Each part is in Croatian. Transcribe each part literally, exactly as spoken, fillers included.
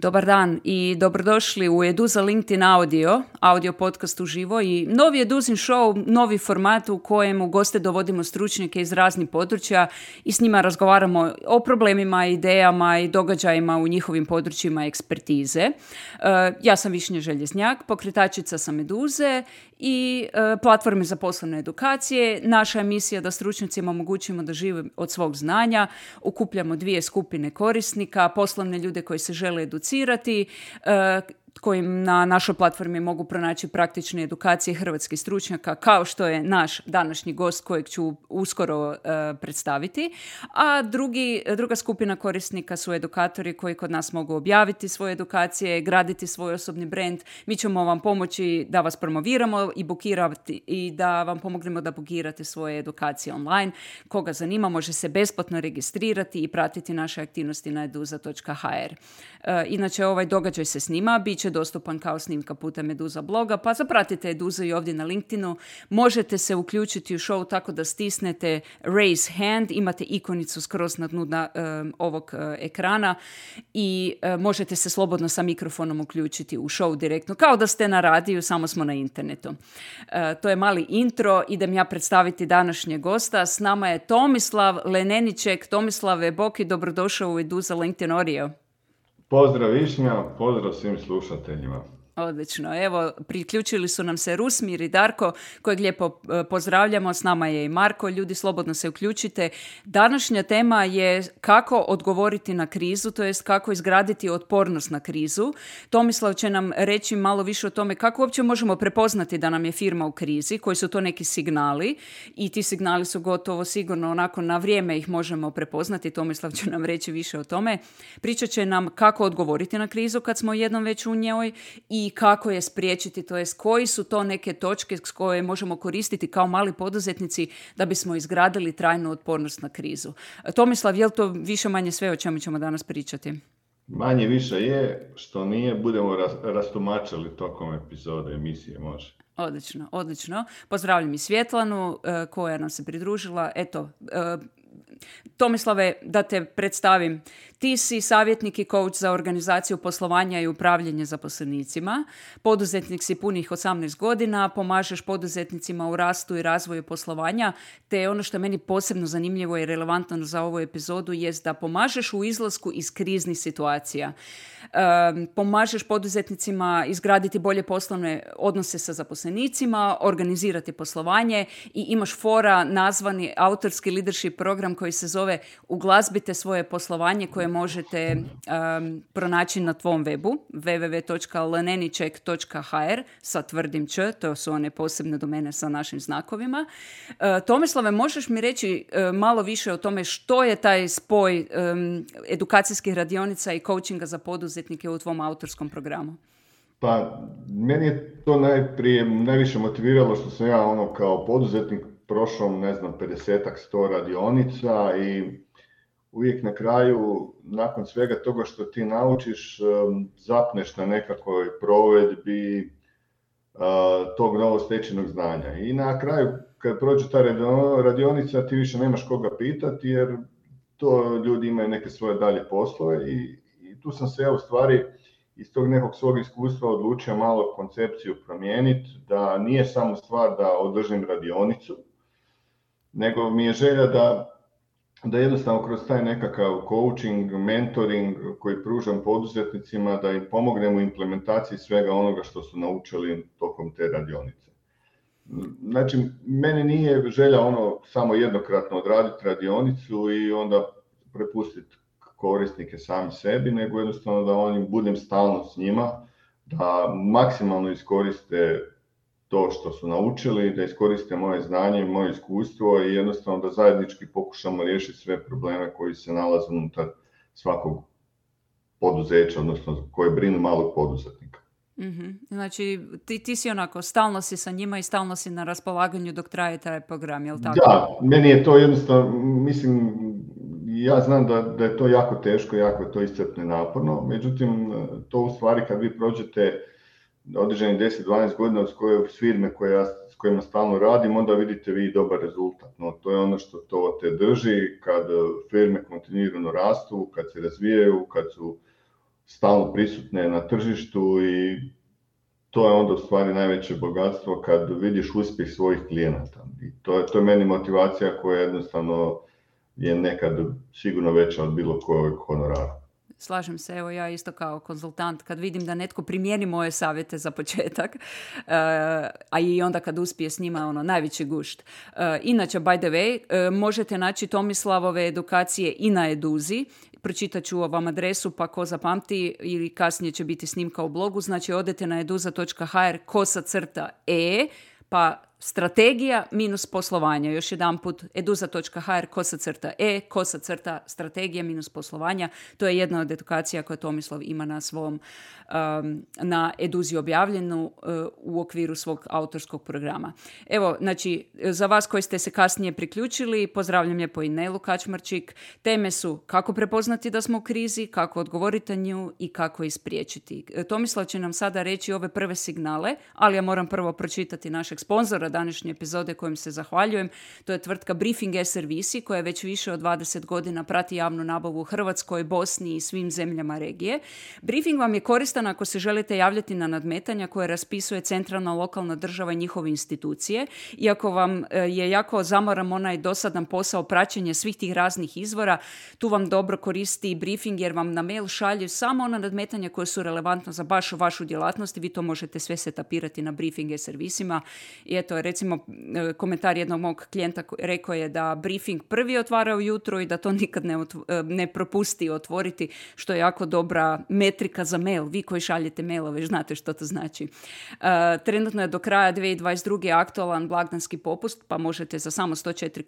Dobar dan i dobrodošli u Eduza LinkedIn Audio, audio podcast uživo i novi Eduzin show, novi format u kojem u goste dovodimo stručnjake iz raznih područja i s njima razgovaramo o problemima, idejama i događajima u njihovim područjima ekspertize. Uh, ja sam Višnja Željeznjak, pokretačica sam Eduze i uh, platforme za poslovne edukacije. Naša je misija da stručnjacima omogućimo da žive od svog znanja. Okupljamo dvije skupine korisnika, poslovne ljude koji se žele educirati, kojim na našoj platformi mogu pronaći praktične edukacije hrvatskih stručnjaka, kao što je naš današnji gost kojeg ću uskoro uh, predstaviti. A drugi, druga skupina korisnika su edukatori koji kod nas mogu objaviti svoje edukacije, graditi svoj osobni brand. Mi ćemo vam pomoći da vas promoviramo i bukirati i da vam pomognemo da bukirate svoje edukacije online. Koga zanima, može se besplatno registrirati i pratiti naše aktivnosti na eduza točka ha er. Uh, inače, ovaj događaj se snima, bit će dostupan kao snimka putem Eduza bloga, pa zapratite Eduza i ovdje na LinkedInu. Možete se uključiti u show tako da stisnete raise hand, imate ikonicu skroz na dnu na, um, ovog uh, ekrana i uh, možete se slobodno sa mikrofonom uključiti u show direktno, kao da ste na radiju, samo smo na internetu. Uh, to je mali intro, idem ja predstaviti današnjeg gosta. S nama je Tomislav Leneniček. Tomislave, Boki, dobrodošao u Eduza LinkedIn Audio. Pozdrav Višnja, pozdrav svim slušateljima. Odlično. Evo, priključili su nam se Rusmir i Darko, kojeg lijepo pozdravljamo. S nama je i Marko. Ljudi, slobodno se uključite. Današnja tema je kako odgovoriti na krizu, to jest kako izgraditi otpornost na krizu. Tomislav će nam reći malo više o tome kako uopće možemo prepoznati da nam je firma u krizi, koji su to neki signali i ti signali su gotovo sigurno onako na vrijeme ih možemo prepoznati. Tomislav će nam reći više o tome. Pričat će nam kako odgovoriti na krizu kad smo jednom već u njoj i kako je spriječiti, to jest koji su to neke točke s koje možemo koristiti kao mali poduzetnici da bismo izgradili trajnu otpornost na krizu. Tomislav, je li to više manje sve o čemu ćemo danas pričati? Manje više je, što nije, budemo rastumačili tokom epizode emisije, može. Odlično, odlično. Pozdravljam i Svjetlanu koja nam se pridružila. Eto, Tomislave, da te predstavim. Ti si savjetnik i coach za organizaciju poslovanja i upravljanje zaposlenicima. Poduzetnik si punih osamnaest godina, pomažeš poduzetnicima u rastu i razvoju poslovanja, te ono što je meni posebno zanimljivo i relevantno za ovu epizodu jest da pomažeš u izlasku iz kriznih situacija. Um, pomažeš poduzetnicima izgraditi bolje poslovne odnose sa zaposlenicima, organizirati poslovanje i imaš fora nazvani autorski leadership program koji se zove Uglazbite svoje poslovanje, koje možete um, pronaći na tvom webu w w w točka leneniček točka ha er sa tvrdim č, to su one posebne domene sa našim znakovima. Uh, Tomislave, možeš mi reći uh, malo više o tome što je taj spoj um, edukacijskih radionica i coachinga za poduzetnike u tvom autorskom programu? Pa, meni je to najprije najviše motiviralo što sam ja ono kao poduzetnik prošao, ne znam, pedesetak, sto radionica i uvijek na kraju, nakon svega toga što ti naučiš, zapneš na nekakvoj provedbi tog novostečenog znanja. I na kraju, kad prođe ta radionica, ti više nemaš koga pitati, jer to ljudi imaju neke svoje dalje poslove i, i tu sam se ja u stvari iz tog nekog svog iskustva odlučio malo koncepciju promijeniti, da nije samo stvar da održim radionicu, nego mi je želja da da jednostavno kroz taj nekakav coaching, mentoring koji pružam poduzetnicima, da im pomognem u implementaciji svega onoga što su naučili tokom te radionice. Znači, meni nije želja ono samo jednokratno odraditi radionicu i onda prepustiti korisnike sami sebi, nego jednostavno da oni budem stalno s njima, da maksimalno iskoriste to što su naučili, da iskoriste moje znanje i moje iskustvo i jednostavno da zajednički pokušamo riješiti sve probleme koji se nalaze unutar svakog poduzeća, odnosno koje brinu malog poduzetnika. Mm-hmm. Znači, ti, ti si onako, stalno si sa njima i stalno si na raspolaganju dok traje taj program, je li tako? Da, meni je to jednostavno, mislim, ja znam da, da je to jako teško, jako je to iscrpno i naporno, međutim, to u stvari kad vi prođete određeni deset do dvanaest godina od koje firme koje ja, s kojima stalno radim, onda vidite vi dobar rezultat. No, to je ono što to te drži kad firme kontinuirano rastu, kad se razvijaju, kad su stalno prisutne na tržištu i to je onda u stvari najveće bogatstvo kad vidiš uspjeh svojih klijenata. I to je, to je meni motivacija koja jednostavno je nekad sigurno veća od bilo kojeg honorara. Slažem se, evo ja isto kao konzultant, kad vidim da netko primijeni moje savjete za početak, uh, a i onda kad uspije s njima, ono, najveći gušt. Uh, inače, by the way, uh, možete naći Tomislavove edukacije i na Eduzi. Pročitat ću vam adresu, pa ko zapamti, ili kasnije će biti snimka u blogu. Znači, odete na eduza točka ha er kosa crta e, pa strategija minus poslovanja. Još jedan put, eduza točka ha er kosa crta e, kosa crta strategija minus poslovanja. To je jedna od edukacija koje Tomislav ima na svom, um, na Eduzi objavljenu uh, u okviru svog autorskog programa. Evo, znači, za vas koji ste se kasnije priključili, pozdravljam lijepo i Nelu Kačmarčik. Teme su kako prepoznati da smo u krizi, kako odgovoriti na nju i kako ispriječiti. Tomislav će nam sada reći ove prve signale, ali ja moram prvo pročitati našeg sponzora današnje epizode kojim se zahvaljujem. To je tvrtka Briefing e-servisi koja već više od dvadeset godina prati javnu nabavu u Hrvatskoj, Bosni i svim zemljama regije. Briefing vam je koristan ako se želite javljati na nadmetanja koje raspisuje centralna lokalna država i njihove institucije. Iako vam je jako zamoran onaj dosadan posao praćenja svih tih raznih izvora, tu vam dobro koristi Briefing jer vam na mail šalju samo ona nadmetanja koje su relevantna za baš vašu djelatnost i vi to možete sve setapirati na Briefing e-servisima. I eto, recimo, komentar jednog mog klijenta rekao je da Briefing prvi otvara ujutro i da to nikad ne, otv- ne propusti otvoriti, što je jako dobra metrika za mail. Vi koji šaljete mailove, znate što to znači. Uh, trenutno je do kraja dvije tisuće dvadeset druge aktualan blagdanski popust, pa možete za samo sto četiri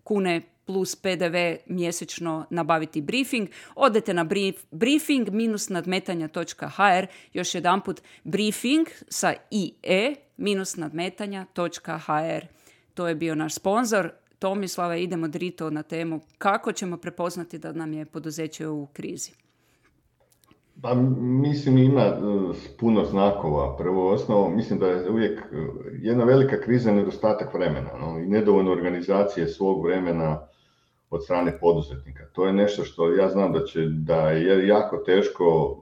kune plus pe de ve mjesečno nabaviti Briefing. Odete na brief, briefing minus nadmetanja točka ha er, još jedanput Briefing sa i e minus nadmetanja točka ha er. To je bio naš sponzor. Tomislave, idemo drito na temu kako ćemo prepoznati da nam je poduzeće u krizi. Pa mislim ima puno znakova. Prvo osnovo, mislim da je uvijek jedna velika kriza nedostatak vremena, no, i nedovoljno organizacije svog vremena od strane poduzetnika. To je nešto što ja znam da će da je jako teško,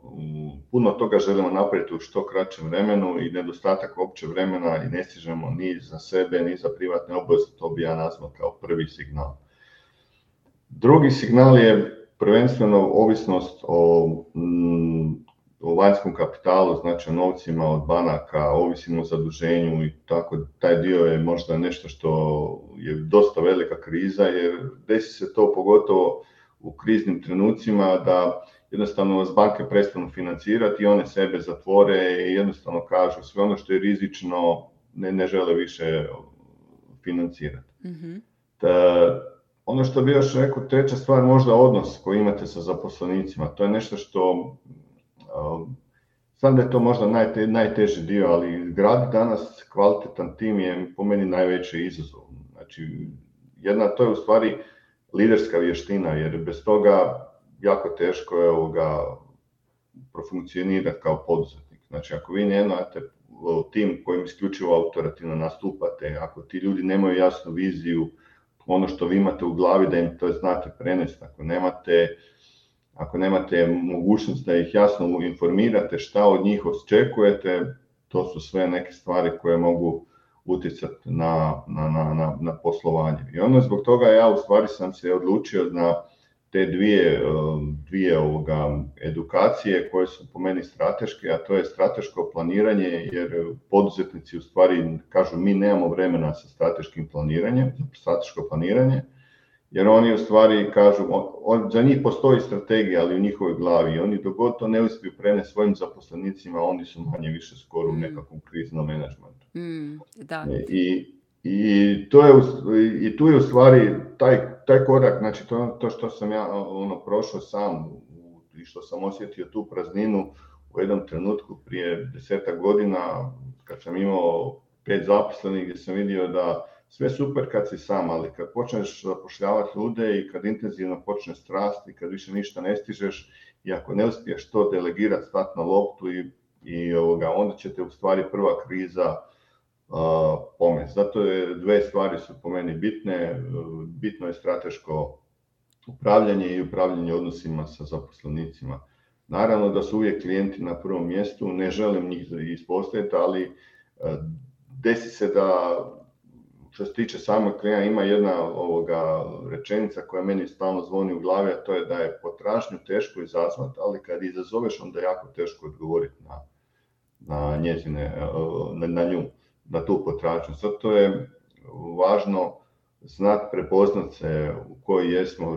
puno toga želimo napraviti u što kraćem vremenu i nedostatak opće vremena i ne stižemo ni za sebe, ni za privatne obaveze, to bi ja nazvao kao prvi signal. Drugi signal je prvenstveno ovisnost o, mm, o vanjskom kapitalu, znači o novcima od banaka, ovisimo o zaduženju i tako, taj dio je možda nešto što je dosta velika kriza jer desi se to pogotovo u kriznim trenucima da jednostavno vas banke prestanu financirati i one sebe zatvore i jednostavno kažu sve ono što je rizično ne, ne žele više financirati. Mm-hmm. Ta, ono što bi još rekao, treća stvar, možda odnos koji imate sa zaposlenicima. To je nešto što, uh, znam da je to možda najte, najteži dio, ali graditi danas kvalitetan tim je po meni najveći izazov. Znači, jedna, to je u stvari liderska vještina, jer bez toga jako teško je ovoga profunkcionirati kao poduzetnik. Znači, ako vi nemate tim kojim isključivo autorativno nastupate, ako ti ljudi nemaju jasnu viziju, ono što vi imate u glavi da im to znate prenesti, ako nemate, ako nemate mogućnost da ih jasno informirate šta od njih očekujete, to su sve neke stvari koje mogu utjecati na, na, na, na poslovanje. I ono zbog toga ja u stvari sam se odlučio na te dvije, dvije ovoga edukacije koje su po meni strateške, a to je strateško planiranje, jer poduzetnici u stvari kažu mi nemamo vremena sa strateškim planiranjem, strateško planiranje, jer oni u stvari kažu, on, za njih postoji strategija, ali u njihovoj glavi, i oni dok god to ne uspiju prenesti svojim zaposlenicima, oni su manje više skoro u nekakvom kriznom menadžmentu. Mm, da. I, I, to je, I tu je u stvari taj, taj korak, znači to, to što sam ja ono, prošao sam i što sam osjetio tu prazninu u jednom trenutku prije desetak godina kad sam imao pet zaposlenih gdje sam vidio da sve super kad si sam, ali kad počneš zapošljavati ljude i kad intenzivno počne strast i kad više ništa ne stižeš i ako ne uspiješ to delegirati, stati na loptu i, i ovoga, onda će te u stvari prva kriza Uh, pomest. Zato je dve stvari su po meni bitne. Bitno je strateško upravljanje i upravljanje odnosima sa zaposlenicima. Naravno da su uvijek klijenti na prvom mjestu, ne želim njih ispostaviti, ali desi se da, što se tiče samog klijenta, ima jedna ovoga rečenica koja meni stalno zvoni u glavi, a to je da je potražnju teško izazvati, ali kad izazoveš onda je jako teško odgovoriti na, na njezine, na, na nju, na tu potražnju. Zato je važno znati prepoznat se u kojoj jesmo,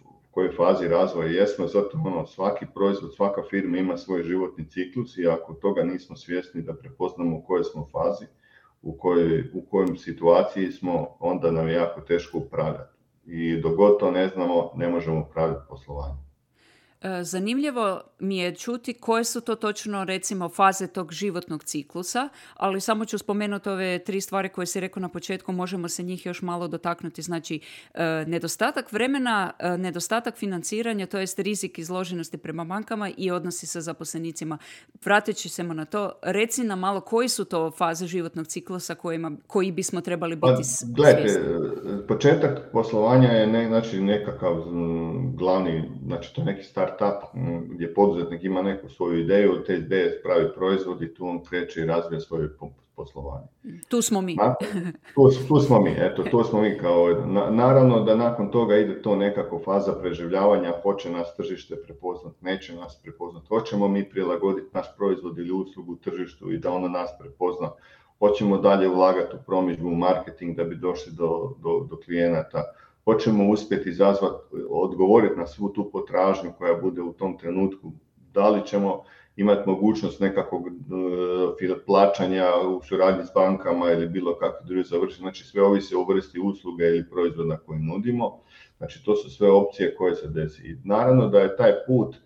u kojoj fazi razvoja jesmo, zato ono, svaki proizvod, svaka firma ima svoj životni ciklus i ako toga nismo svjesni da prepoznamo u kojoj smo fazi, u kojoj, u kojoj situaciji smo, onda nam je jako teško upravljati. I dok god to ne znamo, ne možemo upravljati poslovanjem. Zanimljivo mi je čuti koje su to točno, recimo, faze tog životnog ciklusa, ali samo ću spomenuti ove tri stvari koje si rekao na početku, možemo se njih još malo dotaknuti. Znači, nedostatak vremena, nedostatak financiranja, to jest rizik izloženosti prema bankama i odnosi sa zaposlenicima. Vratit ćemo na to, reci nam malo koji su to faze životnog ciklusa kojima, koji bismo trebali biti pa, svjesni. Gledajte, početak poslovanja je ne, znači nekakav m, glavni, znači to je neki start startup gdje poduzetnik ima neku svoju ideju, te ideje pravi proizvod i tu on kreće i razvija svoje poslovanje. Tu smo mi. Na, tu, tu smo mi, eto, tu smo mi kao, na, naravno da nakon toga ide to nekako faza preživljavanja, hoće nas tržište prepoznat, neće nas prepoznat, hoćemo mi prilagoditi naš proizvod ili uslugu tržištu i da ono nas prepozna, hoćemo dalje ulagati u promidžbu, u marketing da bi došli do, do, do klijenata, hoćemo uspjeti izazvati, odgovoriti na svu tu potražnju koja bude u tom trenutku, da li ćemo imati mogućnost nekakvog uh, plaćanja u suradnji s bankama ili bilo kakvi drugi završiti, znači sve ovisi o vrsti usluge ili proizvoda koji nudimo, znači to su sve opcije koje se desi. I naravno da je taj put,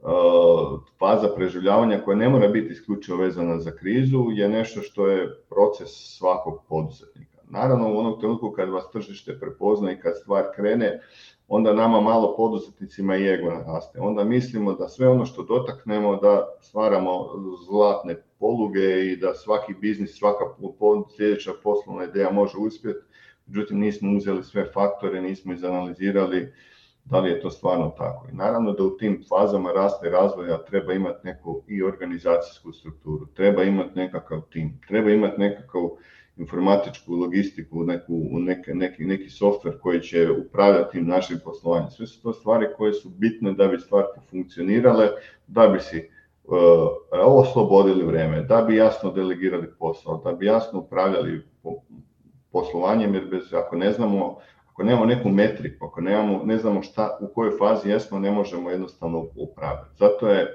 uh, faza preživljavanja koja ne mora biti isključivo vezana za krizu, je nešto što je proces svakog poduzetnika. Naravno, u onom trenutku kad vas tržište prepozna i kad stvar krene, onda nama malo poduzetnicima i ego naraste. Onda mislimo da sve ono što dotaknemo, da stvaramo zlatne poluge i da svaki biznis, svaka sljedeća poslovna ideja može uspjeti. Međutim, nismo uzeli sve faktore, nismo izanalizirali da li je to stvarno tako. I naravno da u tim fazama rasta i razvoja treba imati neku i organizacijsku strukturu, treba imati nekakav tim, treba imati nekakav informatičku logistiku, neku, neki, neki, neki softver koji će upravljati našim poslovanjem. Sve su to stvari koje su bitne da bi stvari funkcionirale, da bi si uh, oslobodili vrijeme, da bi jasno delegirali posao, da bi jasno upravljali poslovanjem, jer bez, ako ne znamo, ako nemamo neku metriku, ako nemamo, ne znamo šta, u kojoj fazi jesmo, ne možemo jednostavno upravljati. Zato je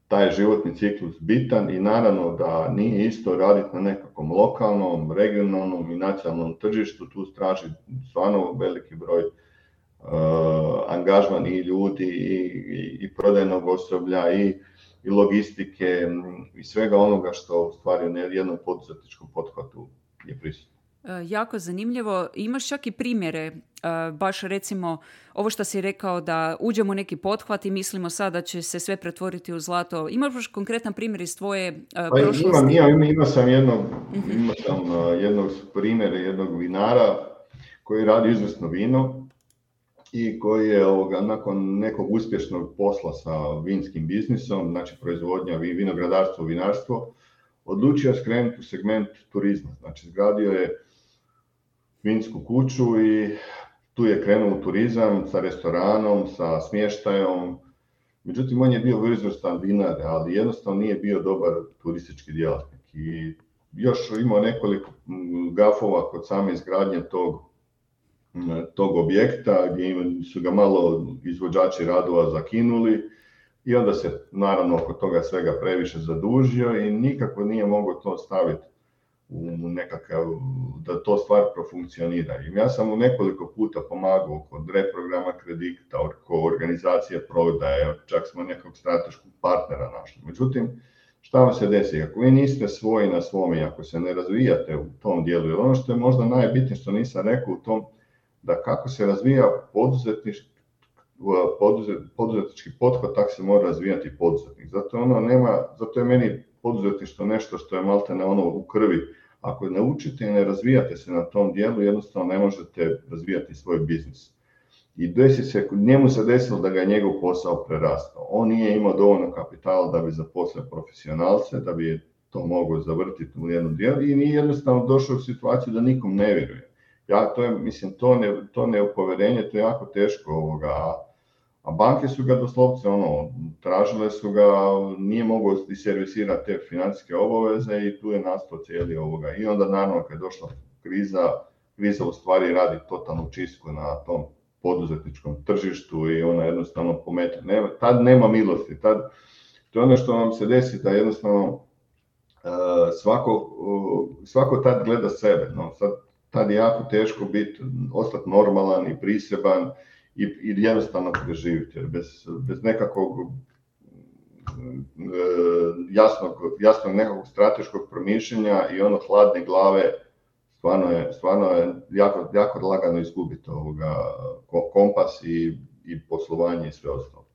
taj životni ciklus bitan i naravno da nije isto raditi na nekakvom lokalnom, regionalnom i nacionalnom tržištu, tu traži stvarno veliki broj uh, angažman i ljudi i, i, i prodajnog osoblja i, i logistike i svega onoga što u stvari u jednom poduzetničkom pothvatu je prisutno. Jako zanimljivo. Imaš čak i primjere, baš recimo ovo što si rekao da uđemo u neki pothvat i mislimo sad da će se sve pretvoriti u zlato. Imaš baš konkretan primjer iz tvoje pa prošlosti? Imam, imam, imam sam jednog, uh-huh. imam sam jednog primjera jednog vinara koji radi izvrsno vino i koji je ovoga, nakon nekog uspješnog posla sa vinskim biznisom, znači proizvodnja, vinogradarstvo, vinarstvo, odlučio skrenuti u segment turizma. Znači zgradio je vinsku kuću i tu je krenuo u turizam sa restoranom, sa smještajom. Međutim, on je bio izvrstan vinar, ali jednostavno nije bio dobar turistički djelatnik. I još imao nekoliko gafova kod same izgradnje tog, tog objekta, gdje su ga malo izvođači radova zakinuli. I onda se naravno oko toga svega previše zadužio i nikako nije mogao to staviti u nekakav, da to stvar profunkcionira. I ja sam mu nekoliko puta pomagao kod reprograma kredita, oko organizacije prodaje, čak smo nekog strateškog partnera našli. Međutim, šta vam se desi? Ako vi niste svoji na svome, ako se ne razvijate u tom dijelu, jer ono što je možda najbitnije što nisam rekao u tom, da kako se razvija poduzetništvo, poduzetnički pothvat, tako se mora razvijati poduzetnik. Zato ono nema, zato je meni poduzetništvo nešto što je maltene ono u krvi. Ako ne učite i ne razvijate se na tom dijelu, jednostavno ne možete razvijati svoj biznis. I desi se, njemu se desilo da ga je njegov posao prerastao. On nije imao dovoljno kapitala da bi zaposlio profesionalce, da bi to mogao zavrtiti u jednu dijelu i nije jednostavno došao u situaciju da nikom ne vjeruje. Ja, to je, mislim, to, ne, to neupoverenje, to je jako teško ovoga, a banke su ga doslovce, ono, tražile su ga, nije mogao servisirati te financijske obaveze i tu je nastao cijeli ovoga. I onda naravno kad je došla kriza, kriza u stvari radi totalnu čistku na tom poduzetničkom tržištu i ona jednostavno pomete. Nema, tad nema milosti, tad, to je ono što vam se desi da jednostavno uh, svako, uh, svako tad gleda sebe. No, sad, tad je jako teško biti, ostati normalan i priseban i, i jednostavno preživiti. Bez, bez nekakvog uh, jasnog, jasnog nekakvog strateškog promišljenja i ono hladne glave, Stvarno je, stvarno je jako, jako lagano izgubiti ovoga kompas i, i poslovanje i sve ostalo.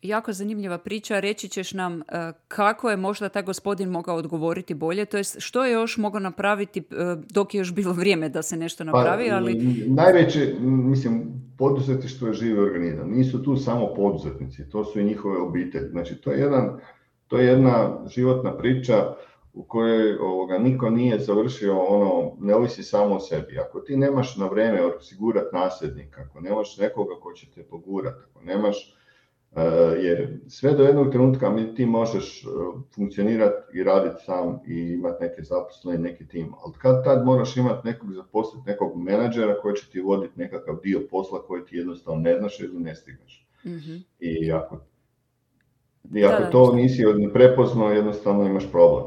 Jako zanimljiva priča. Reći ćeš nam kako je možda taj gospodin mogao odgovoriti bolje, to jest što je još mogao napraviti dok je još bilo vrijeme da se nešto napravi, pa, ali... Najveće, mislim, poduzetništvo je živi organizam. Nisu tu samo poduzetnici, to su i njihove obitelji. Znači, to je, jedan, to je jedna životna priča u kojoj ovoga, niko nije završio, ono, ne ovisi samo o sebi. Ako ti nemaš na vrijeme osigurati nasljednika, ako nemaš nekoga ko će te pogurati, ako nemaš, uh, jer sve do jednog trenutka ti možeš uh, funkcionirati i raditi sam i imati neke zaposlene, neki tim, ali kad tad moraš imati nekog zaposliti, nekog menadžera koji će ti voditi nekakav dio posla koji ti jednostavno ne znaš ili ne stigneš. Mm-hmm. I ako, i ako da, to nisi prepoznao, jednostavno imaš problem.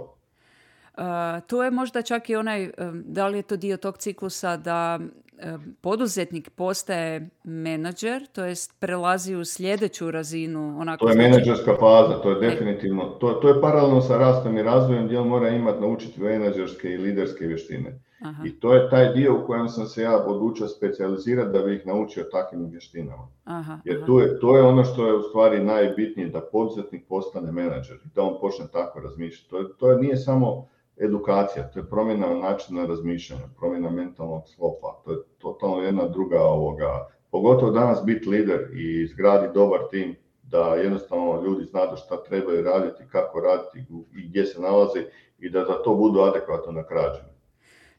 Uh, to je možda čak i onaj, um, da li je to dio tog ciklusa da um, poduzetnik postaje menadžer, to jest prelazi u sljedeću razinu. Onako, to je menadžerska faza, to je definitivno, to, to je paralelno sa rastom i razvojem gdje on mora imati naučiti menadžerske i liderske vještine. Aha. I to je taj dio u kojem sam se ja odlučio specijalizirati da bih ih naučio takvim vještinama. Aha, Jer aha. To, je, to je ono što je u stvari najbitnije, da poduzetnik postane menadžer i da on počne tako razmišljati. To, je, to je, nije samo edukacija, to je promjena načina razmišljanja, promjena mentalnog sklopa, to je totalno jedna druga ovoga, pogotovo danas biti lider i izgradi dobar tim, da jednostavno ljudi znaju šta trebaju raditi, kako raditi i gdje se nalazi i da za to budu adekvatno nagrađeni.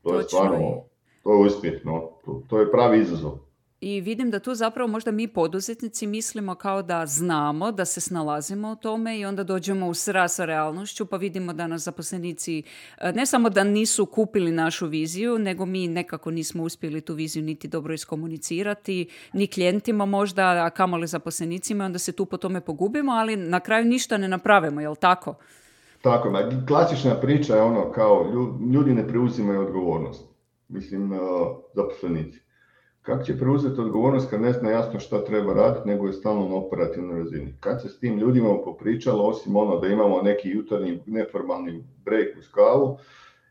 To Točno. je stvarno, to je uspjeh, no, to, to je pravi izazov. I vidim da tu zapravo možda mi poduzetnici mislimo kao da znamo, da se snalazimo u tome i onda dođemo u sraz sa realnošću pa vidimo da nas zaposlenici ne samo da nisu kupili našu viziju, nego mi nekako nismo uspjeli tu viziju niti dobro iskomunicirati, ni klijentima možda, a kamoli zaposlenicima, onda se tu po tome pogubimo, ali na kraju ništa ne napravimo, jel tako? Tako, klasična priča je ono kao ljudi ne preuzimaju odgovornost, mislim zaposlenici. Kako će preuzeti odgovornost kad ne zna jasno šta treba raditi, nego je stalno na operativnoj razini? Kad se s tim ljudima popričalo, osim ono da imamo neki jutarnji neformalni break uz kavu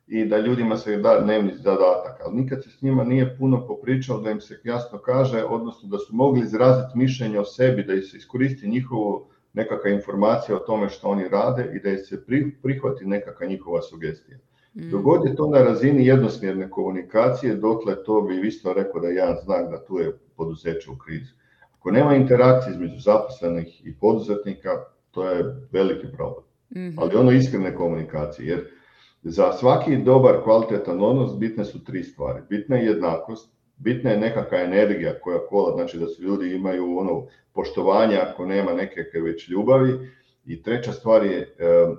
i da ljudima se da dnevni zadatak, ali nikad se s njima nije puno popričalo da im se jasno kaže, odnosno da su mogli izraziti mišljenje o sebi, da se iskoristi njihovo nekakva informacija o tome što oni rade i da se prihvati nekakva njihova sugestija. Dok god je to na razini jednosmjerne komunikacije, dokle to bi isto rekao da je jedan znak da tu je poduzeće u krizi. Ako nema interakcije između zaposlenih i poduzetnika, to je veliki problem. Mm-hmm. Ali ono iskrene komunikacije, jer za svaki dobar, kvalitetan odnos bitne su tri stvari. Bitna je jednakost, bitna je nekakva energija koja kola, znači da su ljudi imaju ono poštovanje ako nema nekakve već ljubavi. I treća stvar je e,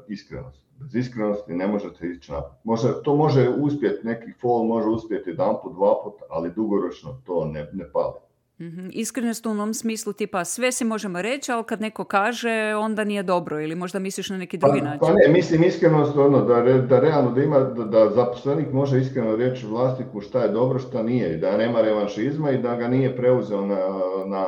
iskrenost. Bez iskrenosti ne možete ići naprijed. Može, to može uspjeti, neki fall može uspjeti jedan put, dva put, ali dugoročno to ne, ne pali. Mm-hmm. Iskrenost u onom smislu tipa sve si možemo reći, ali kad neko kaže onda nije dobro ili možda misliš na neki drugi pa, način? Pa ne, mislim iskrenost ono da, re, da realno da ima, da, da zaposlenik može iskreno reći vlasniku šta je dobro, šta nije i da nema revanšizma i da ga nije preuzeo na, na,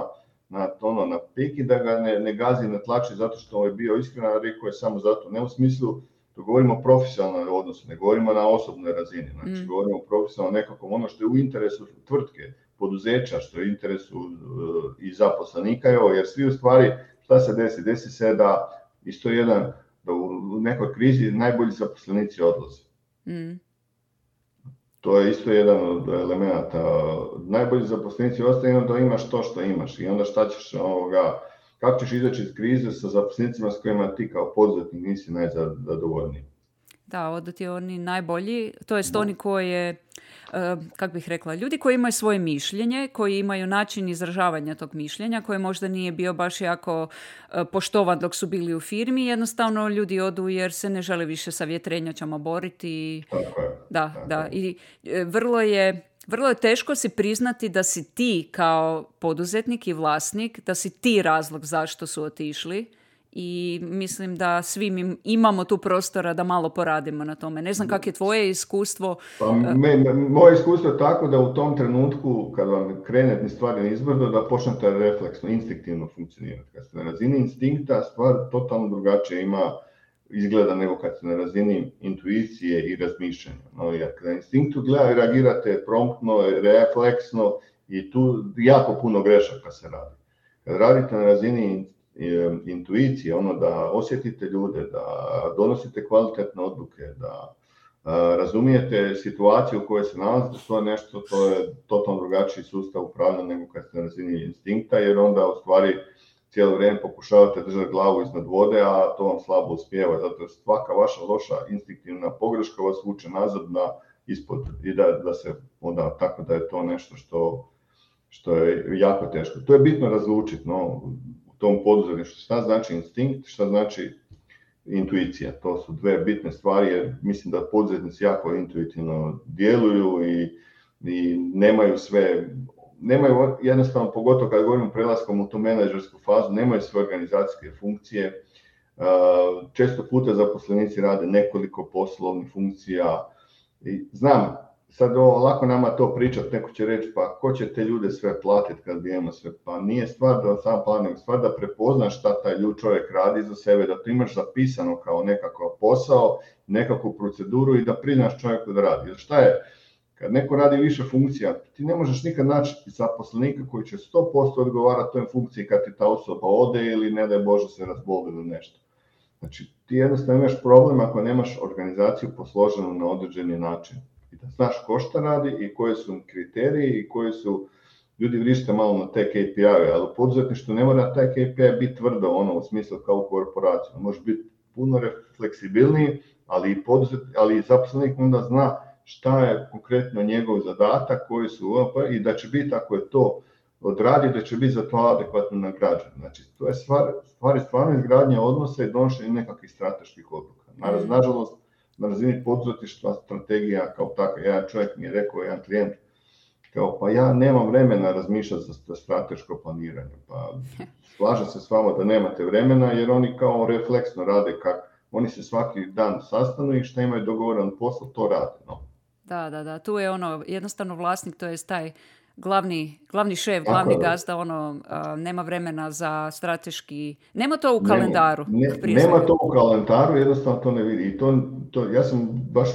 na, ono, na pik i da ga ne, ne gazi na tlači zato što je bio iskren, a rekao je samo zato, ne u smislu. To govorimo o profesionalnoj odnosu, ne govorimo na osobnoj razini, znači mm. govorimo o profesionalnom nekakvom ono što je u interesu tvrtke, poduzeća, što je u interesu uh, i zaposlenika, evo, jer svi u stvari, šta se desi? Desi se da isto jedan, da u nekoj krizi najbolji zaposlenici odlaze. Mm. to je isto jedan od elemenata. Najbolji zaposlenici ostaju da imaš to što imaš i onda šta ćeš ovoga, kako ćeš izaći iz krize sa zaposlenicima s kojima ti kao poduzetnik nisi najzadovoljniji. Da, odu ti oni najbolji, to jest oni koje, kako bih rekla, ljudi koji imaju svoje mišljenje, koji imaju način izražavanja tog mišljenja, koje možda nije bio baš jako poštovan dok su bili u firmi, jednostavno ljudi odu jer se ne žele više sa vjetrenjačama boriti. Tako je. Da, tako da. je. I vrlo je, vrlo je teško si priznati da si ti kao poduzetnik i vlasnik, da si ti razlog zašto su otišli. I mislim da svi mi imamo tu prostora da malo poradimo na tome. Ne znam kako je tvoje iskustvo. Pa me, me, moje iskustvo je tako da u tom trenutku kad vam krene stvari nizbrdo da počnete refleksno, instinktivno funkcionirati. Kad ste na razini instinkta stvar totalno drugačije ima izgleda nego kad ste na razini intuicije i razmišljanja. No, jer kad na instinktu gledate, reagirate promptno, refleksno i tu jako puno grešaka se radi. Kad radite na razini intuicije, ono da osjetite ljude, da donosite kvalitetne odluke, da a, razumijete situaciju u kojoj se nalazite, to je nešto, to je totalno drugačiji sustav upravljanja nego kad ste na razini instinkta, jer onda u stvari cijelo vrijeme pokušavate držati glavu iznad vode, a to vam slabo uspijeva, zato svaka vaša loša instinktivna pogreška vas vuče nazad na ispod i da, da se onda tako da je to nešto što, što je jako teško. To je bitno razlučiti, no, tom poduzetništvu, šta znači instinkt, šta znači intuicija. To su dve bitne stvari jer mislim da poduzetnici jako intuitivno djeluju i, i nemaju sve, nemaju jednostavno, pogotovo kad govorimo prelaskom u tu menadžersku fazu, nemaju sve organizacijske funkcije. Često puta zaposlenici rade nekoliko poslovnih funkcija i znam, sad ovo, lako nama to pričati, neko će reći pa ko će te ljude sve platiti kad bi imamo sve, pa nije stvar da sam planim, stvar da prepoznaš šta taj ljud čovjek radi za sebe, da to imaš zapisano kao nekakav posao, nekakvu proceduru i da priznaš čovjeku da radi. Jer šta je, kad neko radi više funkcija, ti ne možeš nikad naći zaposlenika koji će sto posto odgovarati toj funkciji kad ti ta osoba ode ili ne daj Bože se razboli ili nešto. Znači ti jednostavno imaš problem ako nemaš organizaciju posloženu na određeni način. Da znaš ko šta radi i koje su kriteriji i koji su, ljudi vrište malo na te K P I-e, ali u poduzetništvu ne mora taj K P I biti tvrdo, ono u smislu kao u korporaciju. Može biti puno fleksibilniji, ali i, poduzet, ali i zaposlenik onda zna šta je konkretno njegov zadatak, koji su i da će biti, ako je to odradi, da će biti za to adekvatno nagrađen. Znači, to je stvar, stvar je stvarno izgradnja odnosa i donošenje nekakvih strateških odluka. Nažalost, na razini poduzetništva strategija kao takva. Jedan čovjek mi je rekao, jedan klijent, kao pa ja nemam vremena razmišljati za strateško planiranje. Pa slažem se s vama da nemate vremena jer oni kao refleksno rade kako. Oni se svaki dan sastanu i što imaju dogovoran posao, to rade. No. Da, da, da. Tu je ono, jednostavno vlasnik, to je taj glavni, glavni šef, glavni gazda, ono, a, nema vremena za strateški, nema to u kalendaru. Ne, ne, nema to u kalendaru, jednostavno to ne vidi. I to, to, ja sam baš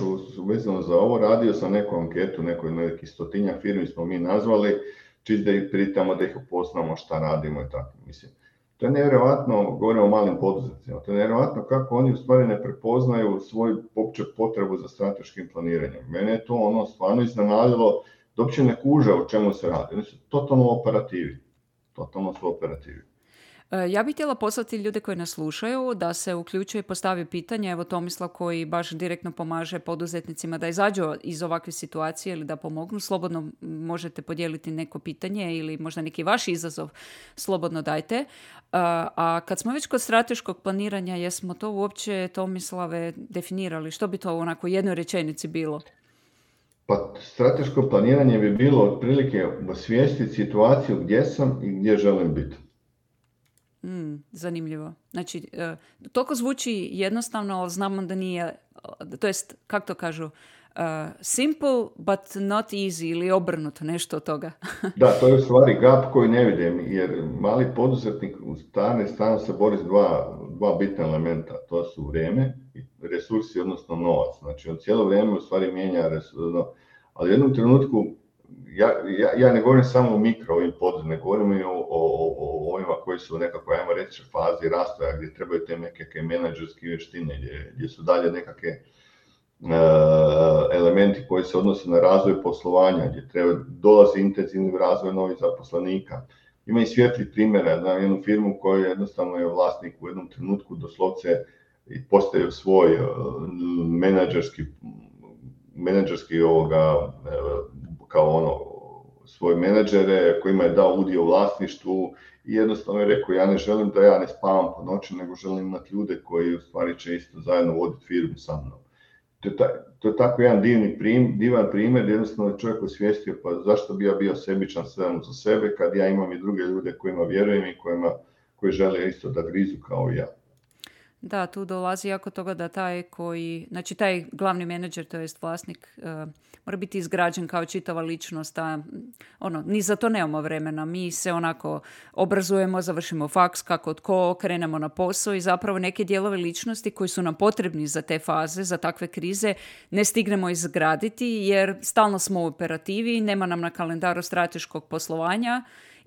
vezano za ovo radio sam neku anketu, nekoj neki stotinjak firmi smo mi nazvali, čist da ih pritamo, da ih upoznamo šta radimo i tako. Mislim, to je nevjerojatno, govorimo o malim poduzetnicima, to je nevjerojatno kako oni u stvari ne prepoznaju svoju opće potrebu za strateškim planiranjem. Mene je to ono stvarno iznenadilo, da uopće ne kuže o čemu se radi. Oni su totalno operativi. Totalno su operativi. Ja bih htjela poslati ljude koji nas slušaju da se uključuje i postavi pitanje. Evo Tomislav koji baš direktno pomaže poduzetnicima da izađu iz ovakve situacije ili da pomognu. Slobodno možete podijeliti neko pitanje ili možda neki vaš izazov. Slobodno dajte. A kad smo već kod strateškog planiranja, jesmo to uopće, Tomislave, definirali? Što bi to u onako jednoj rečenici bilo? Pa strateško planiranje bi bilo otprilike osvijestiti situaciju gdje sam i gdje želim biti. Mm, zanimljivo. Znači, uh, toliko zvuči jednostavno, ali znamo da nije, to jest, kako to kažu, uh, simple but not easy ili obrnuto, nešto od toga. Da, to je u stvari gap koji ne vidim, jer mali poduzetnik u stane stanu se bori s dva, dva bitna elementa, to su vrijeme i resursi, odnosno novac. Znači, on cijelo vrijeme u stvari mijenja resursi, ali u jednom trenutku, ja, ja, ja ne govorim samo o mikro ovim poduzetnicima, ne govorim i o, o, o, o ovima koji su u nekakvoj, ajmo reći, fazi rastoja, gdje trebaju te nekakve menadžerske vještine, gdje, gdje su dalje nekakve elementi koji se odnose na razvoj poslovanja, gdje treba, dolazi intenzivni razvoj novih zaposlenika. Ima i svijetlih primjera, znam jednu firmu koju jednostavno je vlasnik u jednom trenutku doslovce postavio svoj menadžerski, menadžerski ovoga, kao ono, svoje menadžere kojima je dao udio u vlasništvu i jednostavno je rekao ja ne želim da ja ne spavam po noći, nego želim imati ljude koji u stvari će isto zajedno voditi firmu sa mnom. To je, ta, to je tako jedan divni prim, divan primjer, jednostavno je čovjek osvijestio pa zašto bi ja bio sebičan samo za sebe kad ja imam i druge ljude kojima vjerujem i kojima, koji žele isto da grizu kao i ja. Da, tu dolazi jako toga da taj koji, znači taj glavni menadžer, to jest vlasnik, uh, mora biti izgrađen kao čitava ličnost, a ono, ni za to nemamo vremena. Mi se onako obrazujemo, završimo faks, kako tko, krenemo na posao i zapravo neke dijelove ličnosti koji su nam potrebni za te faze, za takve krize, ne stignemo izgraditi jer stalno smo u operativi, nema nam na kalendaru strateškog poslovanja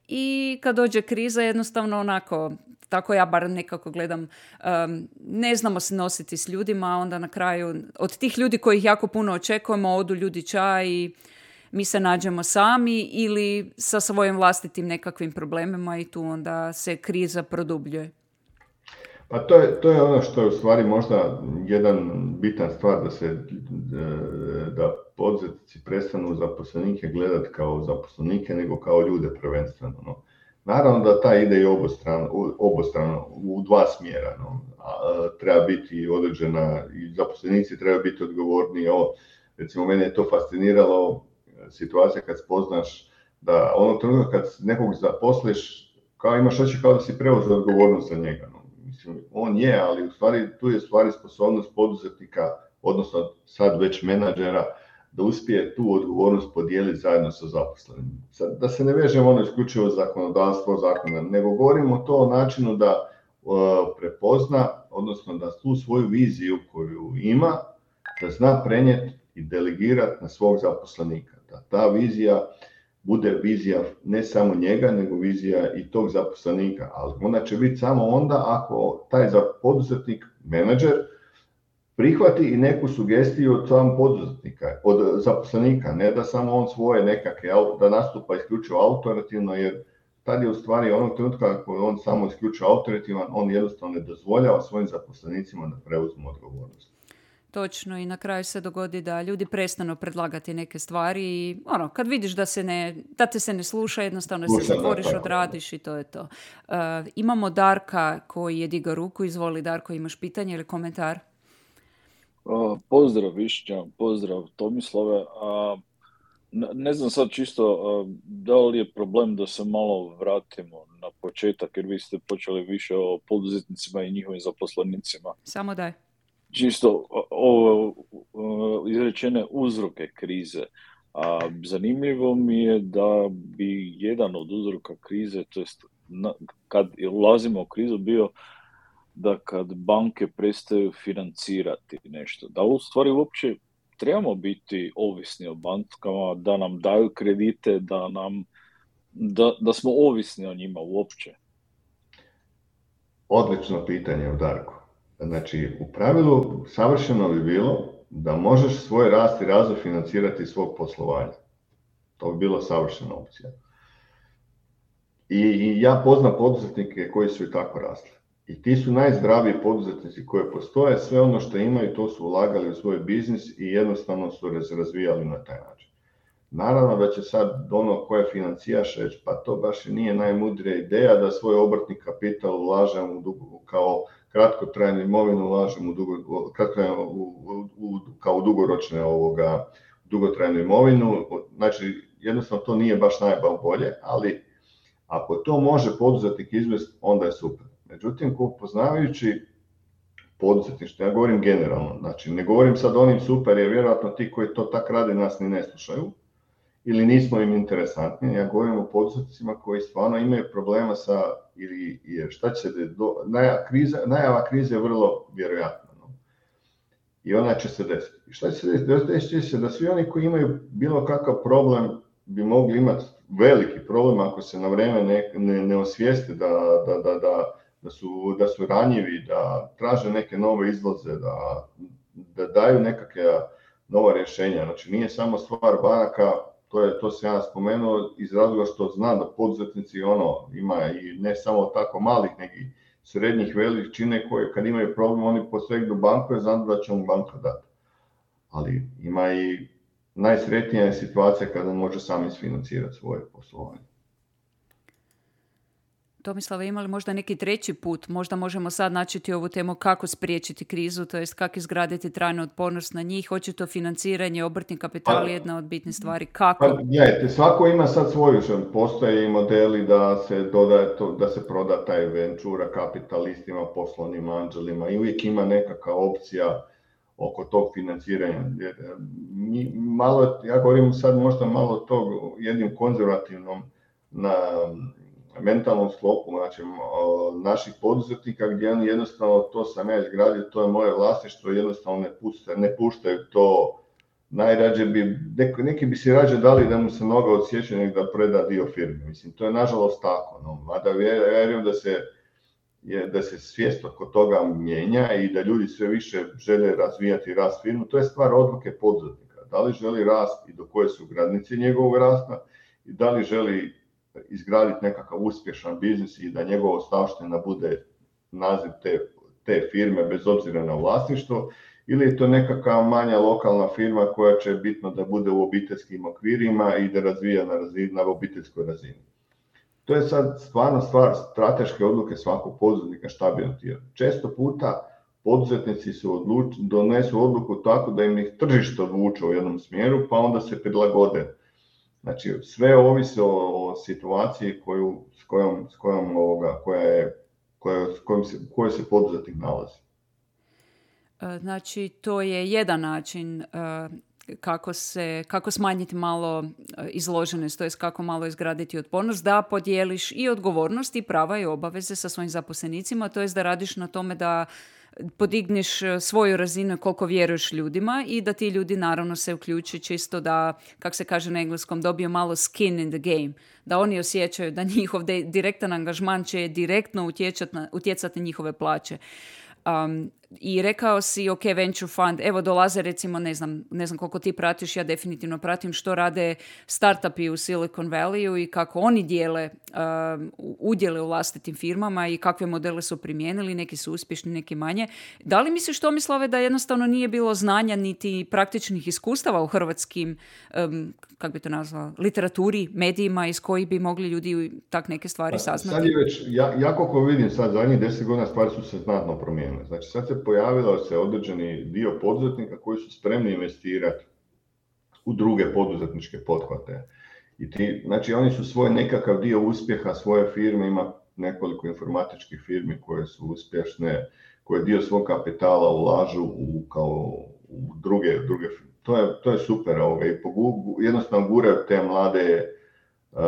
i kad dođe kriza jednostavno onako, tako ja bar nekako gledam, um, ne znamo se nositi s ljudima, a onda na kraju od tih ljudi kojih jako puno očekujemo odu ljudi ča i mi se nađemo sami ili sa svojim vlastitim nekakvim problemima i tu onda se kriza produbljuje. Pa to je, to je ono što je u stvari možda jedan bitan stvar da se da poduzetnici prestanu zaposlenike gledati kao zaposlenike nego kao ljude prvenstveno. No. Naravno da ta ide i obostrano, obostrano u dva smjera. No. A, treba biti određena, i zaposlenici treba biti odgovorni. O, recimo, mene je to fasciniralo, situacija kad spoznaš da onog trenutka kad nekog zaposliš, kao imaš oči kao da si preuzeo odgovornost za njega. No. Mislim, on je, ali u stvari tu je stvari sposobnost poduzetnika, odnosno sad već menadžera, da uspije tu odgovornost podijeliti zajedno sa zaposlenim. Sad, da se ne vežemo ono isključivo zakonodavstvo, zakona, nego govorimo to o načinu da uh, prepozna, odnosno da tu svoju viziju koju ima, da zna prenijeti i delegirati na svog zaposlenika. Da ta vizija bude vizija ne samo njega, nego vizija i tog zaposlenika, ali ona će biti samo onda ako taj poduzetnik, menadžer, prihvati i neku sugestiju od samog poduzetnika, od zaposlenika, ne da samo on svoje nekakve, da nastupa isključivo autoritativno, jer tad je u stvari onog trenutka ako on samo isključivo autoritativan, on jednostavno ne dozvoljava svojim zaposlenicima da preuzmu odgovornost. Točno, i na kraju se dogodi da ljudi prestanu predlagati neke stvari i ono, kad vidiš da, se ne, da te se ne sluša, jednostavno Slušam, se zatvoriš, da, odradiš i to je to. Uh, imamo Darka koji je digao ruku, izvoli Darko, imaš pitanje ili komentar? Uh, pozdrav Višnja, pozdrav Tomislave. Uh, ne, ne znam sad čisto uh, da li je problem da se malo vratimo na početak, jer vi ste počeli više o poduzetnicima i njihovim zaposlenicima. Samo daj. Čisto ovo izrečene uzroke krize. A, zanimljivo mi je da bi jedan od uzroka krize, to jest na, kad ulazimo u krizu, bio da kad banke prestaju financirati nešto, da u stvari uopće trebamo biti ovisni o bankama, da nam daju kredite, da, nam, da, da smo ovisni o njima uopće. Odlično pitanje, Darko. Znači, u pravilu savršeno bi bilo da možeš svoj rast i razvoj financirati iz svog poslovanja. To bi bilo savršena opcija. I, i ja poznam poduzetnike koji su i tako rasli. I ti su najzdraviji poduzetnici koji postoje, sve ono što imaju to su ulagali u svoj biznis i jednostavno su razvijali na taj način. Naravno da će sad ono koje financijaš reći, pa to baš i nije najmudrija ideja da svoj obrtni kapital ulažem u dugo, kao kratkotrajnu imovinu ulažem u dugo, u, u, u, kao u dugoročne ovoga, dugotrajnu imovinu. Znači, jednostavno to nije baš najbolje, ali ako to može poduzetnik izvesti, onda je super. Međutim, poznavajući poduzetništvo, ja govorim generalno, znači ne govorim sad onim super, jer vjerojatno ti koji to tak rade nas ni ne slušaju, ili nismo im interesantni, ja govorim o poduzetnicima koji stvarno imaju problema sa, ili šta će se, do, najava, kriza, najava krize je vrlo vjerojatna. No? I ona će se desiti. I šta će se desiti? Desit će se da svi oni koji imaju bilo kakav problem bi mogli imati veliki problem ako se na vrijeme ne, ne, ne osvijeste da, da, da, da, da, su, da su ranjivi, da traže neke nove izlaze, da da daju nekakve nova rješenja. Znači nije samo stvar banaka, to je to sam ja spomenuo iz razloga što znam da poduzetnici ono ima i ne samo tako malih, nego srednjih veličine koje kad imaju problem oni posegnu banku jer znam da će mu banka dati. Ali ima i najsretnija je situacija kada može sam isfinancirati svoje poslovanje. Tomislava, imali možda neki treći put? Možda možemo sad načeti ovu temu kako spriječiti krizu, to jest kako izgraditi trajnu otpornost na njih. Očito financiranje, obrtni kapital je jedna od bitnih stvari. Kako? Pa, gledajte, svako ima sad svoju, postoje i modeli da se dodaje to, da se proda taj ventura kapitalistima, poslovnim anđelima i uvijek ima nekakva opcija oko tog financiranja. Malo, ja govorim sad možda malo tog jednim konzervativnom na mentalnom sklopu, znači naših poduzetnika gdje oni jednostavno to sam ja izgradio, to je moje vlasništvo, jednostavno ne puštaju, ne puštaju to. Najrađe bi, neki, neki bi si rađe dali da mu se noga odsjeće nego da preda dio firme. Mislim, to je nažalost tako. No. Mada vjerujem da se, je, da se svijest oko toga mijenja i da ljudi sve više žele razvijati rast firmu. To je stvar odluke poduzetnika. Da li želi rast i do koje su granice njegovog rasta i da li želi izgraditi nekakav uspješan biznis i da njegova ostavština bude naziv te, te firme bez obzira na vlasništvo, ili je to nekakva manja lokalna firma koja će bitno da bude u obiteljskim okvirima i da razvija na, razini, na obiteljskoj razini. To je sad stvarno stvar strateške odluke svakog poduzetnika šta bi htio. Često puta poduzetnici su odluč, donesu odluku tako da im ih tržište odvuče u jednom smjeru pa onda se prilagode. Znači, sve ovisi o, o situaciji koju, s kojom, s kojom, ovoga, koja je, koja, s kojom se, kojoj se poduzetnik nalazi. Znači, to je jedan način kako, se, kako smanjiti malo izloženost, to jest kako malo izgraditi otpornost, da podijeliš i odgovornost i prava i obaveze sa svojim zaposlenicima, to jest da radiš na tome da podigneš svoju razinu koliko vjeruješ ljudima i da ti ljudi naravno se uključi čisto da, kako se kaže na engleskom, dobiju malo skin in the game. Da oni osjećaju da njihov de- direktan angažman će direktno utjecati na njihove plaće. Um, I rekao si, ok, venture fund, evo dolaze recimo, ne znam, ne znam koliko ti pratiš, ja definitivno pratim što rade startupi u Silicon Valleyu i kako oni dijele um, udjele u vlastitim firmama i kakve modele su primijenili, neki su uspješni, neki manje. Da li misliš, Tomislave, da jednostavno nije bilo znanja niti praktičnih iskustava u hrvatskim, um, kako bi to nazvao, literaturi, medijima iz kojih bi mogli ljudi tak neke stvari saznati? Sad je već, ja, ja koliko vidim sad, zadnjih deset godina stvari su se znatno promijenile. Znači sad se pojavilo se određeni dio poduzetnika koji su spremni investirati u druge poduzetničke pothvate. I ti, znači oni su svoj nekakav dio uspjeha svoje firme, ima nekoliko informatičkih firmi koje su uspješne, koje dio svog kapitala ulažu u, kao, u druge, druge firme. To je, to je super ovoga. I pogu, jednostavno guraju te mlade uh,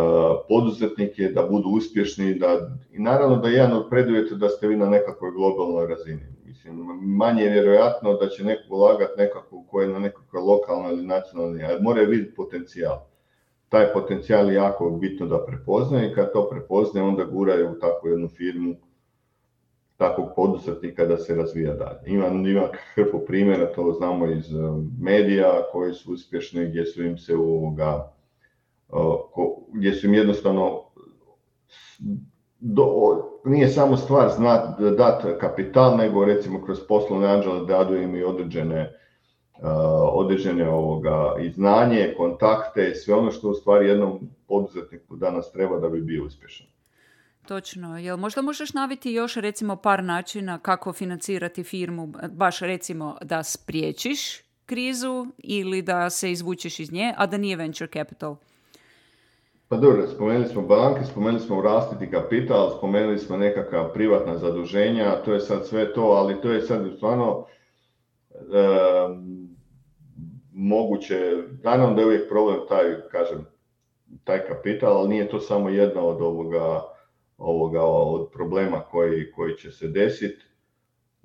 poduzetnike da budu uspješni da, i naravno da je jedan od preduvjeta da ste vi na nekakvoj globalnoj razini. Mislim, manje je vjerojatno da će neko ulagati nekako koje je na nekakvoj lokalnoj ili nacionalnoj, ali mora vidjeti potencijal. Taj potencijal je jako bitno da prepoznaje i kad to prepoznaje onda guraju u takvu jednu firmu takvog poduzetnika da se razvija dalje. Ima, ima hrpu primjera, to znamo iz medija koji su uspješni, gdje su im se ovoga, gdje su im jednostavno do, nije samo stvar znat, dati kapital, nego recimo kroz poslovne anđele dadu im i određene, određene ovoga, i znanje, kontakte, sve ono što u stvari jednom poduzetniku danas treba da bi bio uspješan. Točno. Jel možda možeš naviti još recimo par načina kako financirati firmu, baš recimo da spriječiš krizu ili da se izvučeš iz nje, a da nije venture capital? Pa dobro, spomenuli smo banke, spomenuli smo rastiti kapital, spomenuli smo nekakva privatna zaduženja, to je sad sve to, ali to je sad stvarno e, moguće, naravno da je uvijek problem taj, kažem, taj kapital, ali nije to samo jedna od ovoga, ovoga od problema koji, koji će se desiti.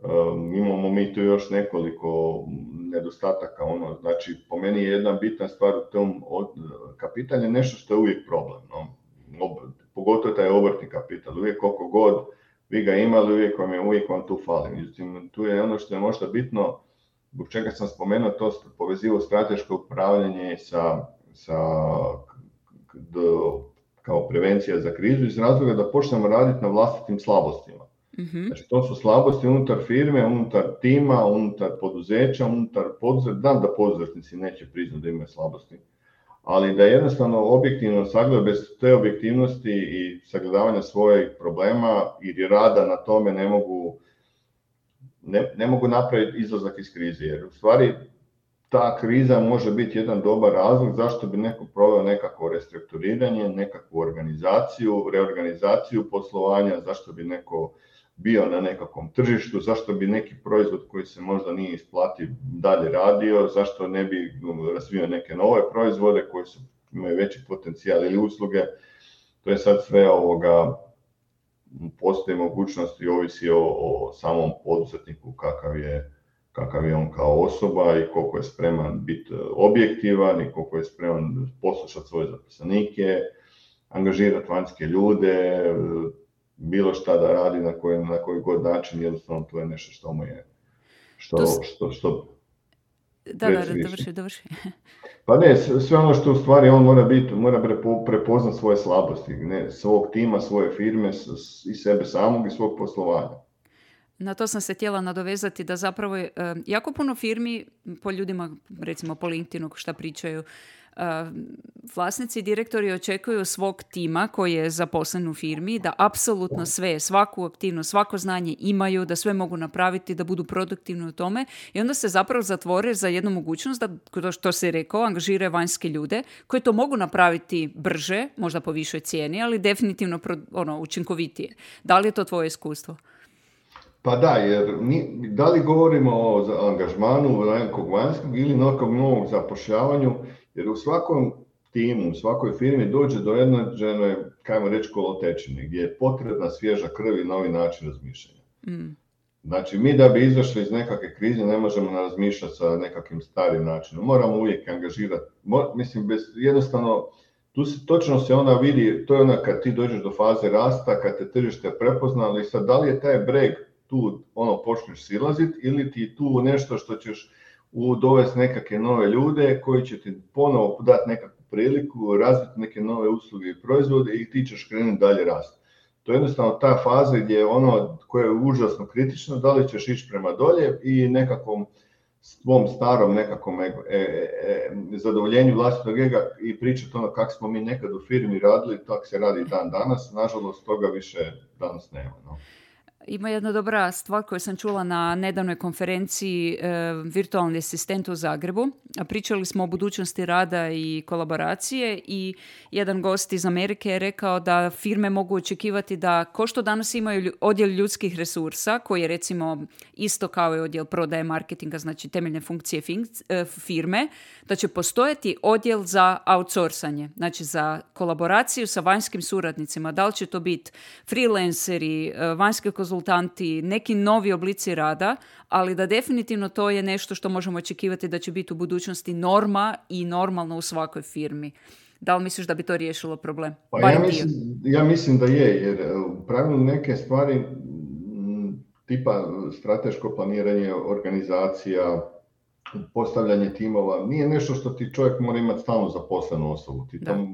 Um, imamo mi tu još nekoliko nedostataka, ono, znači po meni je jedna bitna stvar u tom od, kapital je nešto što je uvijek problem, no? Ob, pogotovo taj obrtni kapital, uvijek koliko god vi ga imali, uvijek vam je, uvijek vam tu fali. Međutim, tu je ono što je možda bitno zbog čega sam spomenuo to povezivo strateško upravljanje sa, sa do, kao prevencija za krizu iz razloga da počnemo raditi na vlastitim slabostima. Mm-hmm. Znači to su slabosti unutar firme, unutar tima, unutar poduzeća, unutar poduzetnika. Znam da poduzetnici neće priznati da imaju slabosti, ali da jednostavno objektivno sagledaju bez te objektivnosti i sagledavanja svojih problema i rada na tome ne mogu, ne, ne mogu napraviti izlazak iz krize. Jer u stvari ta kriza može biti jedan dobar razlog zašto bi neko proveo nekakvo restrukturiranje, nekakvu organizaciju, reorganizaciju poslovanja, zašto bi neko bio na nekakvom tržištu, zašto bi neki proizvod koji se možda nije isplati dalje radio, zašto ne bi razvio neke nove proizvode koji su, imaju veći potencijal ili usluge. To je sad sve ovoga, postoji mogućnost i ovisi o, o samom poduzetniku kakav je, kakav je on kao osoba i koliko je spreman biti objektivan i koliko je spreman poslušati svoje zaposlenike, angažirati vanjske ljude, bilo šta da radi na koji, na koji god način, jednostavno to je nešto što mu je, što, što, što, što da, da, da, dovrši, dovrši. Pa ne, sve ono što u stvari on mora biti, mora prepo, prepoznat svoje slabosti, ne, svog tima, svoje firme i sebe samog i svog poslovanja. Na to sam se htjela nadovezati da zapravo je uh, jako puno firmi po ljudima, recimo po LinkedInu šta pričaju, uh, vlasnici i direktori očekuju svog tima koji je zaposlen u firmi da apsolutno sve, svaku aktivnost, svako znanje imaju, da sve mogu napraviti, da budu produktivni u tome i onda se zapravo zatvore za jednu mogućnost da, što se rekao, angažiraju vanjske ljude koji to mogu napraviti brže, možda po višoj cijeni, ali definitivno ono, učinkovitije. Da li je to tvoje iskustvo? Pa da, jer mi, da li govorimo o angažmanu nekog vanjskog ili nekog novog zapošljavanju, jer u svakom timu, u svakoj firmi dođe do jedne, kajmo reći, kolotečine, gdje je potrebna svježa krv i novi način razmišljanja. Mm. Znači, mi da bi izašli iz nekakve krize ne možemo razmišljati sa nekakvim starim načinom. Moramo uvijek angažirati, mo, mislim, bez, jednostavno, tu se, točno se ona vidi, to je ona kad ti dođeš do faze rasta, kad te tržište prepoznali, sad da li je taj breg tu ono počneš silaziti ili ti tu nešto što ćeš u dovesti nekakve nove ljude koji će ti ponovo dati nekakvu priliku, razviti neke nove usluge i proizvode i ti ćeš krenuti dalje rasti. To je jednostavno ta faza gdje je ono koje je užasno kritično, da li ćeš ići prema dolje i nekakvom svom starom nekakvom e, e, e, zadovoljenju vlastitog ega i pričati ono kako smo mi nekad u firmi radili, tako se radi dan danas, nažalost toga više danas nema. No. Ima jedna dobra stvar koju sam čula na nedavnoj konferenciji e, Virtualni asistent u Zagrebu. Pričali smo o budućnosti rada i kolaboracije i jedan gost iz Amerike je rekao da firme mogu očekivati da ko što danas imaju odjel ljudskih resursa, koji je recimo isto kao i odjel prodaje marketinga, znači temeljne funkcije firme, da će postojati odjel za outsourcanje, znači za kolaboraciju sa vanjskim suradnicima. Da li će to biti freelanceri, vanjski konzultanti, neki novi oblici rada, ali da definitivno to je nešto što možemo očekivati da će biti u budućnosti norma i normalno u svakoj firmi. Da li misliš da bi to riješilo problem? Pa ja, mislim, ja mislim da je, jer u pravilu neke stvari tipa strateško planiranje, organizacija, postavljanje timova, nije nešto što ti čovjek mora imati stalno zaposlenu osobu. Ti to,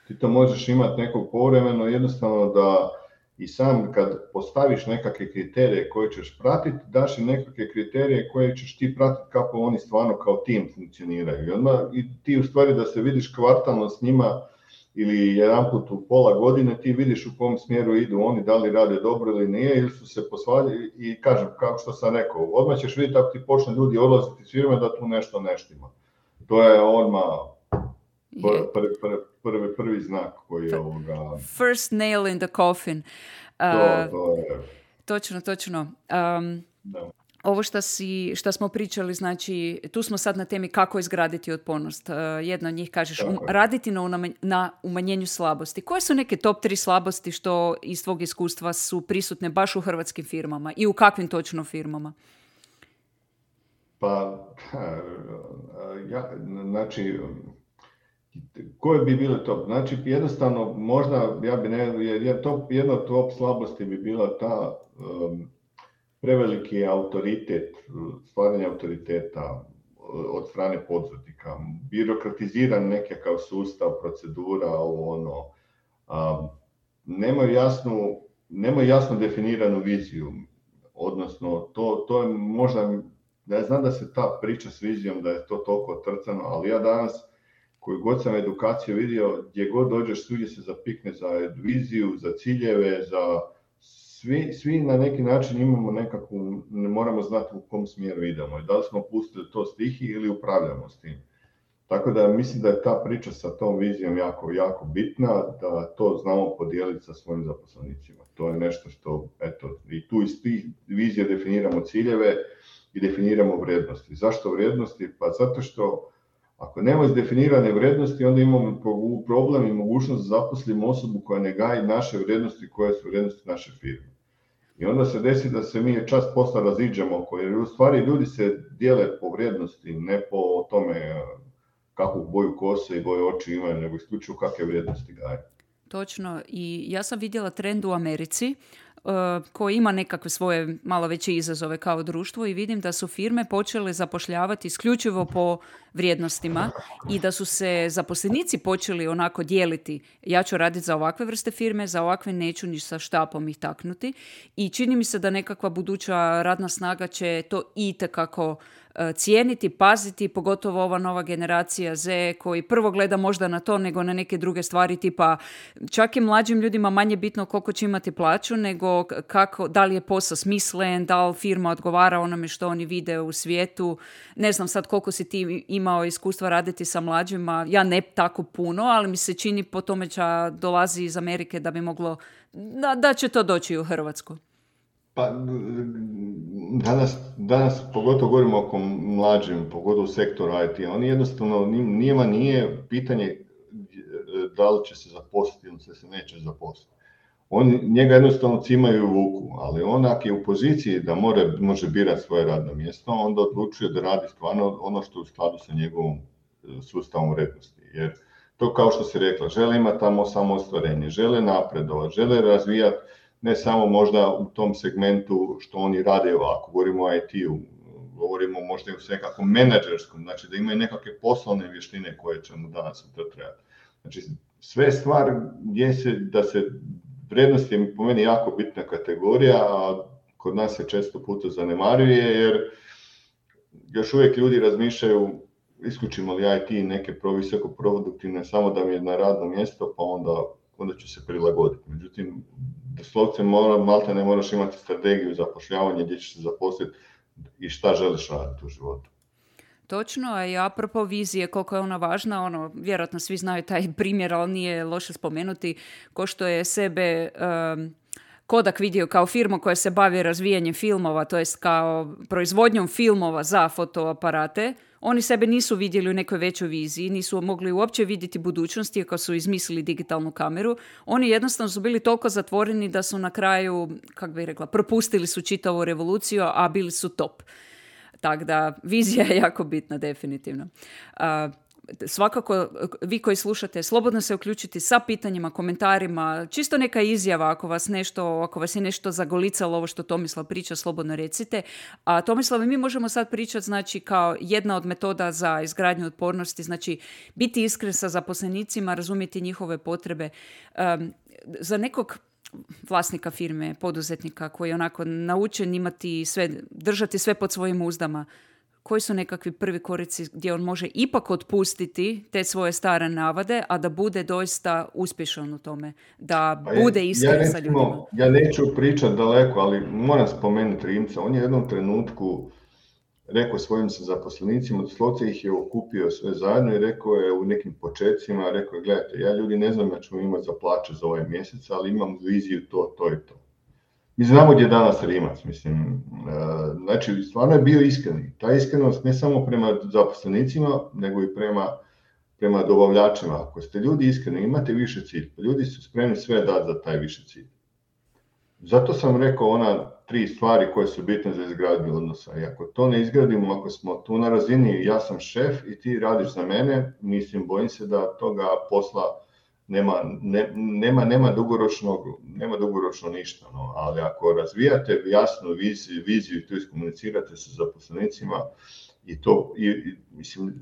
ti to možeš imati nekog povremeno, jednostavno da i sam kad postaviš nekakve kriterije koje ćeš pratiti, daš im nekakve kriterije koje ćeš ti pratiti kako oni stvarno kao tim funkcioniraju. I, odmah, i ti u stvari da se vidiš kvartalno s njima ili jedanput u pola godine, ti vidiš u kom smjeru idu oni, da li rade dobro ili nije, ili su se posvaljali i kažem, kao što sam rekao, odmah ćeš vidjeti ako ti počne ljudi odlaziti iz firme da tu nešto neštima. To je odmah prvi, prvi, prvi, prvi znak koji je ovoga... First nail in the coffin. Uh, to, to je... Točno, točno. Um, da. Ovo što, si, što smo pričali, znači, tu smo sad na temi kako izgraditi otpornost. Uh, jedna od njih kažeš, um, raditi na, unama, na umanjenju slabosti. Koje su neke top tri slabosti što iz tvog iskustva su prisutne baš u hrvatskim firmama i u kakvim točno firmama? Pa, ja, znači, koje bi bile top? Znači, jednostavno, možda, ja bi ne, jer top, jedna top slabosti bi bila ta, um, preveliki autoritet, stvaranje autoriteta od strane poduzetnika, birokratiziran nekakav sustav, procedura, ovo ono, a, nemaju jasnu, nemaju jasno definiranu viziju, odnosno to, to je možda, ja znam da se ta priča s vizijom, da je to toliko trcano, ali ja danas, koju god sam edukaciju vidio, gdje god dođeš, svugdje se zapikne za viziju, za ciljeve, za svi, svi na neki način imamo nekakvu, ne moramo znati u kom smjeru idemo, da li smo pustili to stihi ili upravljamo s tim. Tako da mislim da je ta priča sa tom vizijom jako, jako bitna, da to znamo podijeliti sa svojim zaposlenicima. To je nešto što, eto, i tu iz tih vizija definiramo ciljeve i definiramo vrijednosti. Zašto vrijednosti? Pa zato što ako nema izdefinirane vrijednosti, onda imamo problem i mogućnost da zaposlimo osobu koja ne gaji naše vrijednosti, koje su vrijednosti naše firme. I onda se desi da se mi čast posla raziđemo oko, jer u stvari ljudi se dijele po vrijednosti, ne po tome kakvu boju kose i boju oči imaju, nego isključivo kakve vrijednosti gaje. Točno. I ja sam vidjela trend u Americi uh, koji ima nekakve svoje malo veće izazove kao društvo i vidim da su firme počele zapošljavati isključivo po vrijednostima i da su se zaposlenici počeli onako dijeliti. Ja ću raditi za ovakve vrste firme, za ovakve neću ni sa štapom ih taknuti. I čini mi se da nekakva buduća radna snaga će to itekako cijeniti, paziti, pogotovo ova nova generacija Z koji prvo gleda možda na to nego na neke druge stvari, tipa čak i mlađim ljudima manje bitno koliko će imati plaću nego kako, da li je posao smislen, da li firma odgovara onome što oni vide u svijetu. Ne znam sad koliko si ti imao iskustva raditi sa mlađima, ja ne tako puno, ali mi se čini po tome da dolazi iz Amerike da bi moglo, da, da će to doći u Hrvatsku. Pa danas, danas pogotovo govorimo oko mlađim, pogotovo u sektoru I T, oni jednostavno, njima nije pitanje da li će se zaposliti ili se neće zaposliti. Oni njega jednostavno cimaju u vuku, ali on ako je u poziciji da more, može birati svoje radno mjesto, onda odlučuje da radi stvarno ono što je u skladu sa njegovom sustavom vrijednosti. Jer to kao što si rekla, žele imati tamo samoostvarenje, žele napredovati, žele razvijati ne samo možda u tom segmentu što oni rade, ako govorimo o I T-u, govorimo možda i u nekakvom menadžerskom, znači da imaju nekakve poslovne vještine koje će mu danas to trebati. Znači sve stvar gdje se, da se vrijednost je po meni jako bitna kategorija, a kod nas se često puta zanemaruje jer još uvijek ljudi razmišljaju isključimo li I T neke visoko produktivne samo da mi je na radno mjesto pa onda, onda ću se prilagoditi. Međutim, doslovce mora, malta ne moraš imati strategiju zapošljavanja gdje ćeš se zaposliti i šta želiš raditi u životu. Točno, a i apropo vizije, koliko je ona važna, ono, vjerojatno svi znaju taj primjer, ali nije loše spomenuti, ko što je sebe um, Kodak vidio kao firmu koja se bavi razvijanjem filmova, to jest kao proizvodnjom filmova za fotoaparate. Oni sebe nisu vidjeli u nekoj većoj viziji, nisu mogli uopće vidjeti budućnosti ako su izmislili digitalnu kameru. Oni jednostavno su bili toliko zatvoreni da su na kraju, kako bih rekla, propustili su čitavu revoluciju, a bili su top. Tako da vizija je jako bitna, definitivno. Uh, svakako, vi koji slušate, slobodno se uključiti sa pitanjima, komentarima, čisto neka izjava ako vas nešto, ako vas je nešto zagolicalo ovo što Tomislav priča, slobodno recite. A Tomislav, mi možemo sad pričati, znači, kao jedna od metoda za izgradnju otpornosti, znači biti iskren sa zaposlenicima, razumjeti njihove potrebe. Um, za nekog vlasnika firme, poduzetnika koji je onako naučen imati sve, držati sve pod svojim uzdama, koji su nekakvi prvi korici gdje on može ipak otpustiti te svoje stare navade, a da bude doista uspješan u tome, da pa bude iskren ja sa ljudima? Ja neću pričati daleko, ali moram spomenuti Rimca. On je u jednom trenutku rekao svojim zaposlenicima, doslovce ih je okupio sve zajedno i rekao je u nekim početcima, rekao je, gledajte, ja ljudi ne znam da ćemo imati za plaće za ovaj mjesec, ali imam viziju to, to i to. Mi znamo gdje je danas Rimac, mislim, znači stvarno je bio iskren. Ta iskrenost ne samo prema zaposlenicima, nego i prema, prema dobavljačima. Ako ste ljudi iskreni, imate više cilj, ljudi su spremni sve dati za taj više cilj. Zato sam rekao ona tri stvari koje su bitne za izgradnju odnosa. I ako to ne izgradimo, ako smo tu na razini, ja sam šef i ti radiš za mene, mislim, bojim se da toga posla nema, ne, nema, nema, dugoročnog, nema dugoročno ništa, no, ali ako razvijate jasnu viziju, viziju i to iskomunicirate sa zaposlenicima i to, i, i, mislim,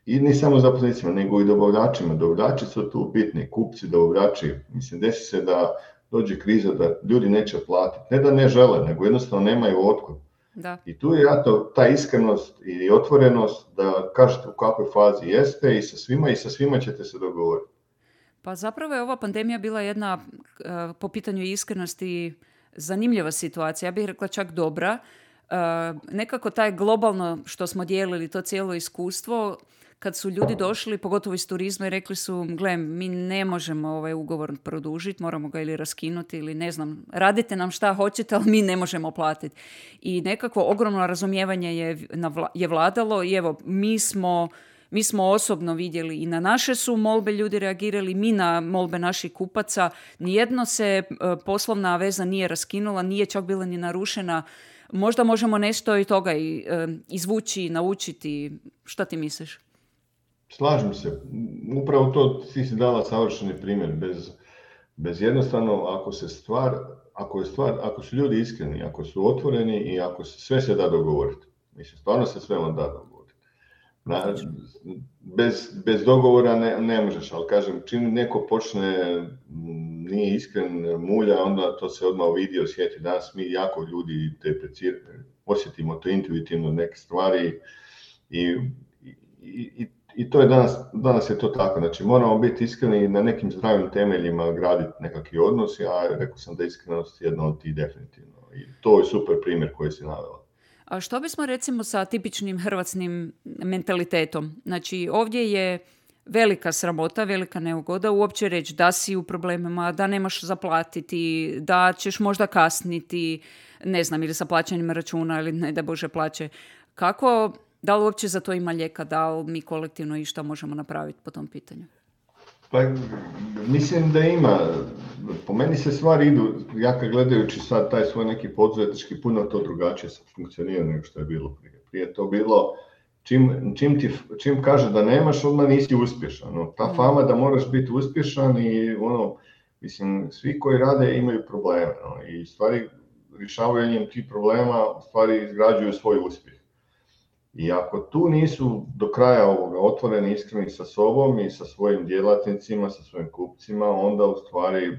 i ne samo zaposlenicima, nego i dobavljačima. Dobavljači su tu bitni, kupci, dobavljači. Mislim, desi se da dođe kriza, da ljudi neće platiti. Ne da ne žele, nego jednostavno nemaju otkud. Da. I tu je jato ta iskrenost i otvorenost da kažete u kakvoj fazi jeste i sa svima i sa svima ćete se dogovoriti. Pa zapravo je ova pandemija bila jedna uh, po pitanju iskrenosti zanimljiva situacija. Ja bih rekla čak dobra. Uh, nekako taj globalno što smo dijelili, to cijelo iskustvo, kad su ljudi došli, pogotovo iz turizma, i rekli su, gle, mi ne možemo ovaj ugovor produžiti, moramo ga ili raskinuti ili ne znam, radite nam šta hoćete, ali mi ne možemo platiti. I nekakvo ogromno razumijevanje je, je vladalo i evo, mi smo, mi smo osobno vidjeli i na naše su molbe ljudi reagirali, mi na molbe naših kupaca. Nijedno se poslovna veza nije raskinula, nije čak bila ni narušena. Možda možemo nešto i toga i, izvući, naučiti. Šta ti misliš? Slažem se. Upravo to ti si dala savršeni primjer. Bez, bez jednostavno, ako se stvar, ako je stvar, ako su ljudi iskreni, ako su otvoreni i ako se sve se da dogovoriti. Mislim, stvarno se sve vam da dogovoriti. Na, bez, bez dogovora ne, ne možeš, ali kažem, čim neko počne, nije iskren, mulja, onda to se odmah vidi, osjeti. Danas mi jako ljudi te osjetimo to intuitivno neke stvari i, i, i I to je danas, danas je to tako, znači moramo biti iskreni i na nekim zdravim temeljima graditi nekakvi odnos, ja rekao sam da je iskrenost jedna od tih definitivno i to je super primjer koji si navela. A što bismo recimo sa tipičnim hrvatskim mentalitetom? Znači ovdje je velika sramota, velika neugoda uopće reći da si u problemima, da nemaš zaplatiti, da ćeš možda kasniti, ne znam, ili sa plaćanjem računa ili ne da Bože plaće. Kako... Da li uopće za to ima lijeka, da li mi kolektivno i što možemo napraviti po tom pitanju? Pa, mislim da ima. Po meni se stvari idu, ja kad gledajući sad taj svoj neki poduzetnički, puno to drugačije funkcionira nego što je bilo prije. Prije to bilo, čim, čim, ti, čim kaže da nemaš, odmah nisi uspješan. No, ta fama da moraš biti uspješan i ono, mislim, svi koji rade imaju probleme. No, i stvari, rješavanjem tih problema, stvari izgrađuju svoj uspjeh. I ako tu nisu do kraja ovoga otvoreni, iskreni sa sobom i sa svojim djelatnicima, sa svojim kupcima, onda u stvari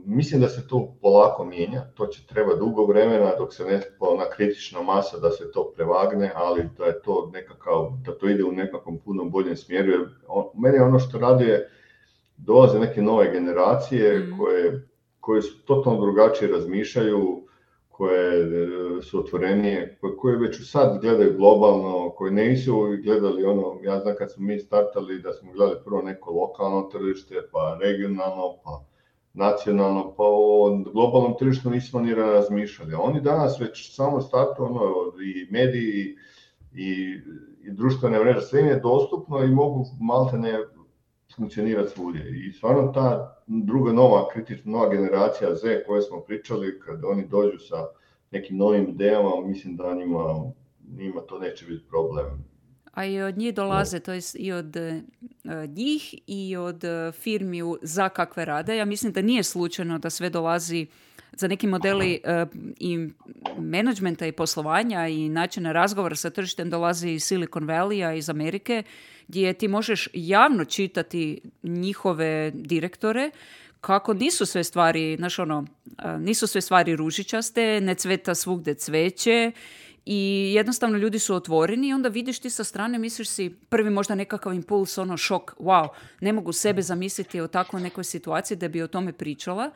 mislim da se to polako mijenja. To će treba dugo vremena dok se ne ona kritična masa da se to prevagne, ali da je to nekakav, da to ide u nekakvom puno boljem smjeru. Jer on, meni ono što raduje, dolaze neke nove generacije mm. koje, koje su totalno drugačije razmišljaju, koje su otvorenije, koje već sad gledaju globalno, koje nisu gledali ono, ja znam kad smo mi startali da smo gledali prvo neko lokalno tržište, pa regionalno, pa nacionalno, pa o globalnom tržištu nismo ni razmišljali. A oni danas već samo startu, ono, i mediji i, i društvene mreže, sve im je dostupno i mogu maltene funkcionirati svugdje. I stvarno ta druga nova, kritična nova generacija Z koje smo pričali, kad oni dođu sa nekim novim idejama, mislim da njima, njima to neće biti problem. A i od njih dolaze, to je i od uh, njih i od uh, firmi za kakve rade. Ja mislim da nije slučajno da sve dolazi za neki modeli uh, i menadžmenta i poslovanja i načina razgovora sa tržištem dolazi iz Silicon Valley-a, iz Amerike, gdje ti možeš javno čitati njihove direktore kako nisu sve stvari, znaš ono, nisu sve stvari ružičaste, ne cveta svugdje cveće i jednostavno ljudi su otvoreni i onda vidiš ti sa strane, misliš si prvi možda nekakav impuls, ono šok, wow, ne mogu sebe zamisliti o takvoj nekoj situaciji da bi o tome pričala,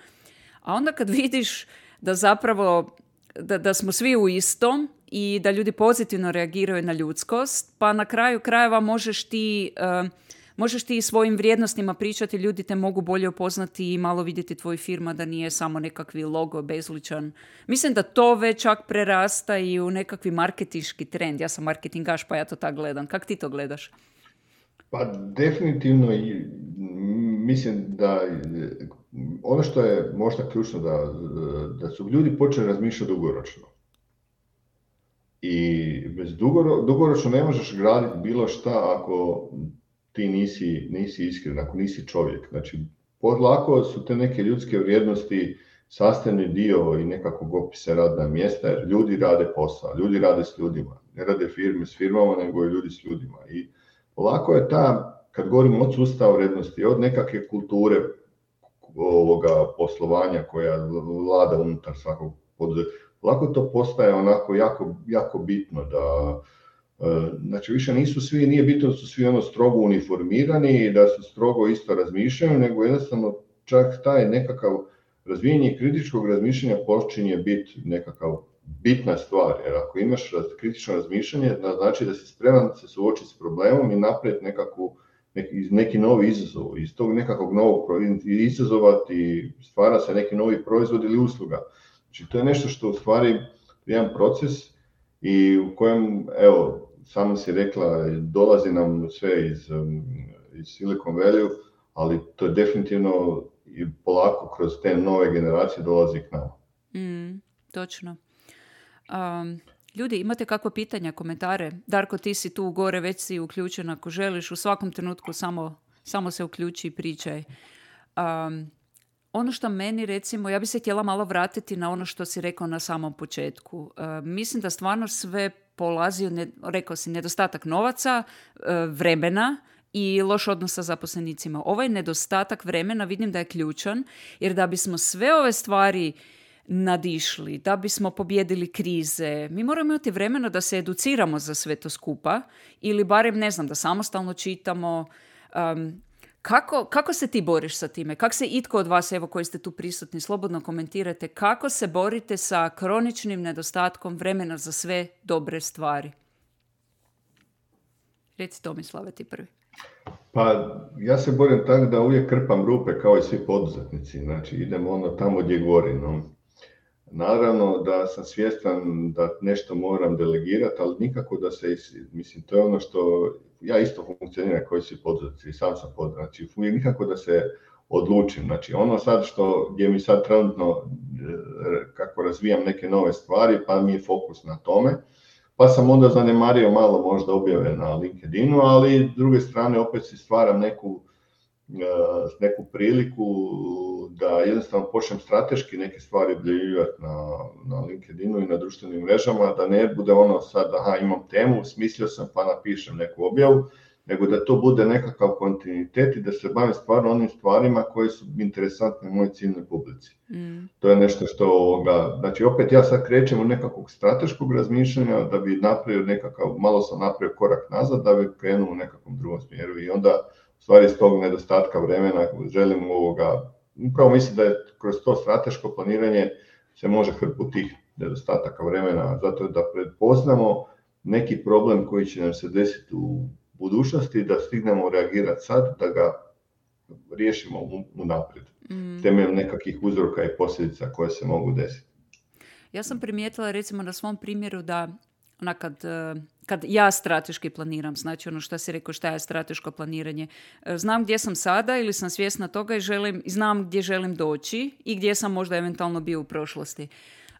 a onda kad vidiš da zapravo da, da smo svi u istom i da ljudi pozitivno reagiraju na ljudskost, pa na kraju krajeva možeš ti, uh, možeš ti svojim vrijednostima pričati, ljudi te mogu bolje upoznati i malo vidjeti tvoju firma da nije samo nekakvi logo bezličan. Mislim da to već čak prerasta i u nekakvi marketinški trend. Ja sam marketingaš, pa ja to tako gledam. Kako ti to gledaš? Pa definitivno i mislim da ono što je možda ključno da, da su ljudi počeli razmišljati dugoročno. I bez dugoro, dugoročno ne možeš graditi bilo šta ako ti nisi, nisi iskren, ako nisi čovjek. Znači, lako su te neke ljudske vrijednosti sastavni dio i nekakvog opisa radna mjesta, jer ljudi rade posao, ljudi rade s ljudima, ne rade firme s firmama, nego i ljudi s ljudima. I polako je ta, kad govorimo od sustava vrijednosti, od nekakve kulture ovoga poslovanja koja vlada unutar svakog poduzeća, polako to postaje onako jako, jako bitno da, znači više nisu svi, nije bitno da su svi ono strogo uniformirani i da su strogo isto razmišljaju, nego jednostavno čak taj nekakav razvijenje kritičkog razmišljanja počinje biti nekakav bitna stvar, jer ako imaš kritično razmišljanje, znači da si spreman se suočiti s problemom i napraviti nekakvu, neki, neki novi izazov. Iz tog nekakvog novog izazova ti stvara se neki novi proizvod ili usluga. Znači to je nešto što u stvari jedan proces i u kojem, evo, samo si rekla, dolazi nam sve iz, iz Silicon Valley, ali to je definitivno i polako kroz te nove generacije dolazi k nama. Mm, točno. Um, ljudi, imate kakva pitanja, komentare? Darko, ti si tu gore, već si uključen ako želiš. U svakom trenutku samo, samo se uključi i pričaj. Um, ono što meni, recimo, ja bi se htjela malo vratiti na ono što si rekao na samom početku. Uh, mislim da stvarno sve polazi, ne, rekao si, nedostatak novaca, uh, vremena i loš odnos sa zaposlenicima. Ovaj nedostatak vremena vidim da je ključan, jer da bismo sve ove stvari nadišli, da bismo pobjedili krize, mi moramo imati vremena da se educiramo za sve to skupa ili barem, ne znam, da samostalno čitamo. Um, kako, kako se ti boriš sa time? Kako se itko od vas, evo koji ste tu prisutni, slobodno komentirate, kako se borite sa kroničnim nedostatkom vremena za sve dobre stvari? Reci, Tomislave, ti prvi. Pa ja se borim tako da uvijek krpam rupe kao i svi poduzetnici, znači idemo ono tamo gdje gori. No. Naravno da sam svjestan da nešto moram delegirati, ali nikako da se, mislim, to je ono što ja isto funkcioniram koji svi poduzetnici i sam sam poduzetnik, znači nikako da se odlučim. Znači ono sad što, gdje mi sad trenutno kako razvijam neke nove stvari, pa mi je fokus na tome. Pa sam onda zanemario malo možda objave na LinkedInu, ali s druge strane opet si stvaram neku, neku priliku da jednostavno počnem strateški neke stvari objavljivati na, na LinkedInu i na društvenim mrežama, da ne bude ono sad, aha, imam temu, smislio sam pa napišem neku objavu, nego da to bude nekakav kontinuitet i da se bavim stvarno onim stvarima koje su interesantne mojoj ciljnoj publici. Mm. To je nešto što, ga, znači opet ja sad krećem u nekakvog strateškog razmišljanja da bi napravio nekakav, malo sam napravio korak nazad da bi krenuo u nekakvom drugom smjeru i onda u stvari iz tog nedostatka vremena želim ovoga, upravo mislim da je kroz to strateško planiranje se može hrpu tih nedostataka vremena, zato da prepoznamo neki problem koji će nam se desiti u budućnosti, da stignemo reagirati sad, da ga riješimo unaprijed, mm. temeljem nekakvih uzroka i posljedica koje se mogu desiti. Ja sam primijetila recimo na svom primjeru da ona kad, kad ja strateški planiram, znači ono što si rekao šta je strateško planiranje, znam gdje sam sada ili sam svjesna toga i želim, znam gdje želim doći i gdje sam možda eventualno bio u prošlosti.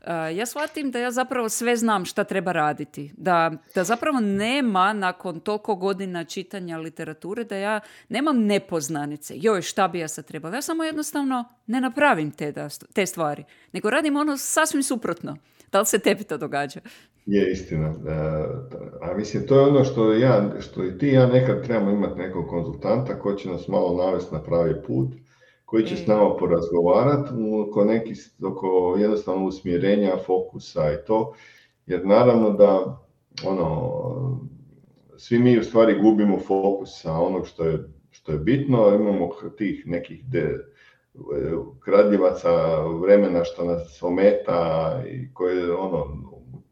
Uh, ja shvatim da ja zapravo sve znam šta treba raditi. Da, da zapravo nema nakon toliko godina čitanja literature da ja nemam nepoznanice. Joj, šta bi ja sad trebala? Ja samo jednostavno ne napravim te, da, te stvari. Nego radim ono sasvim suprotno. Da li se tebi to događa? Je istina. A, a mislim, to je ono što, ja, što i ti ja nekad trebamo imati nekog konzultanta koji će nas malo navesti na pravi put, koji će s nama porazgovarati oko, neki, oko jednostavno usmjerenja, fokusa i to, jer naravno da ono, svi mi u stvari gubimo fokus sa onog što je, što je bitno, imamo tih nekih de, kradljivaca vremena što nas ometa i koje ono,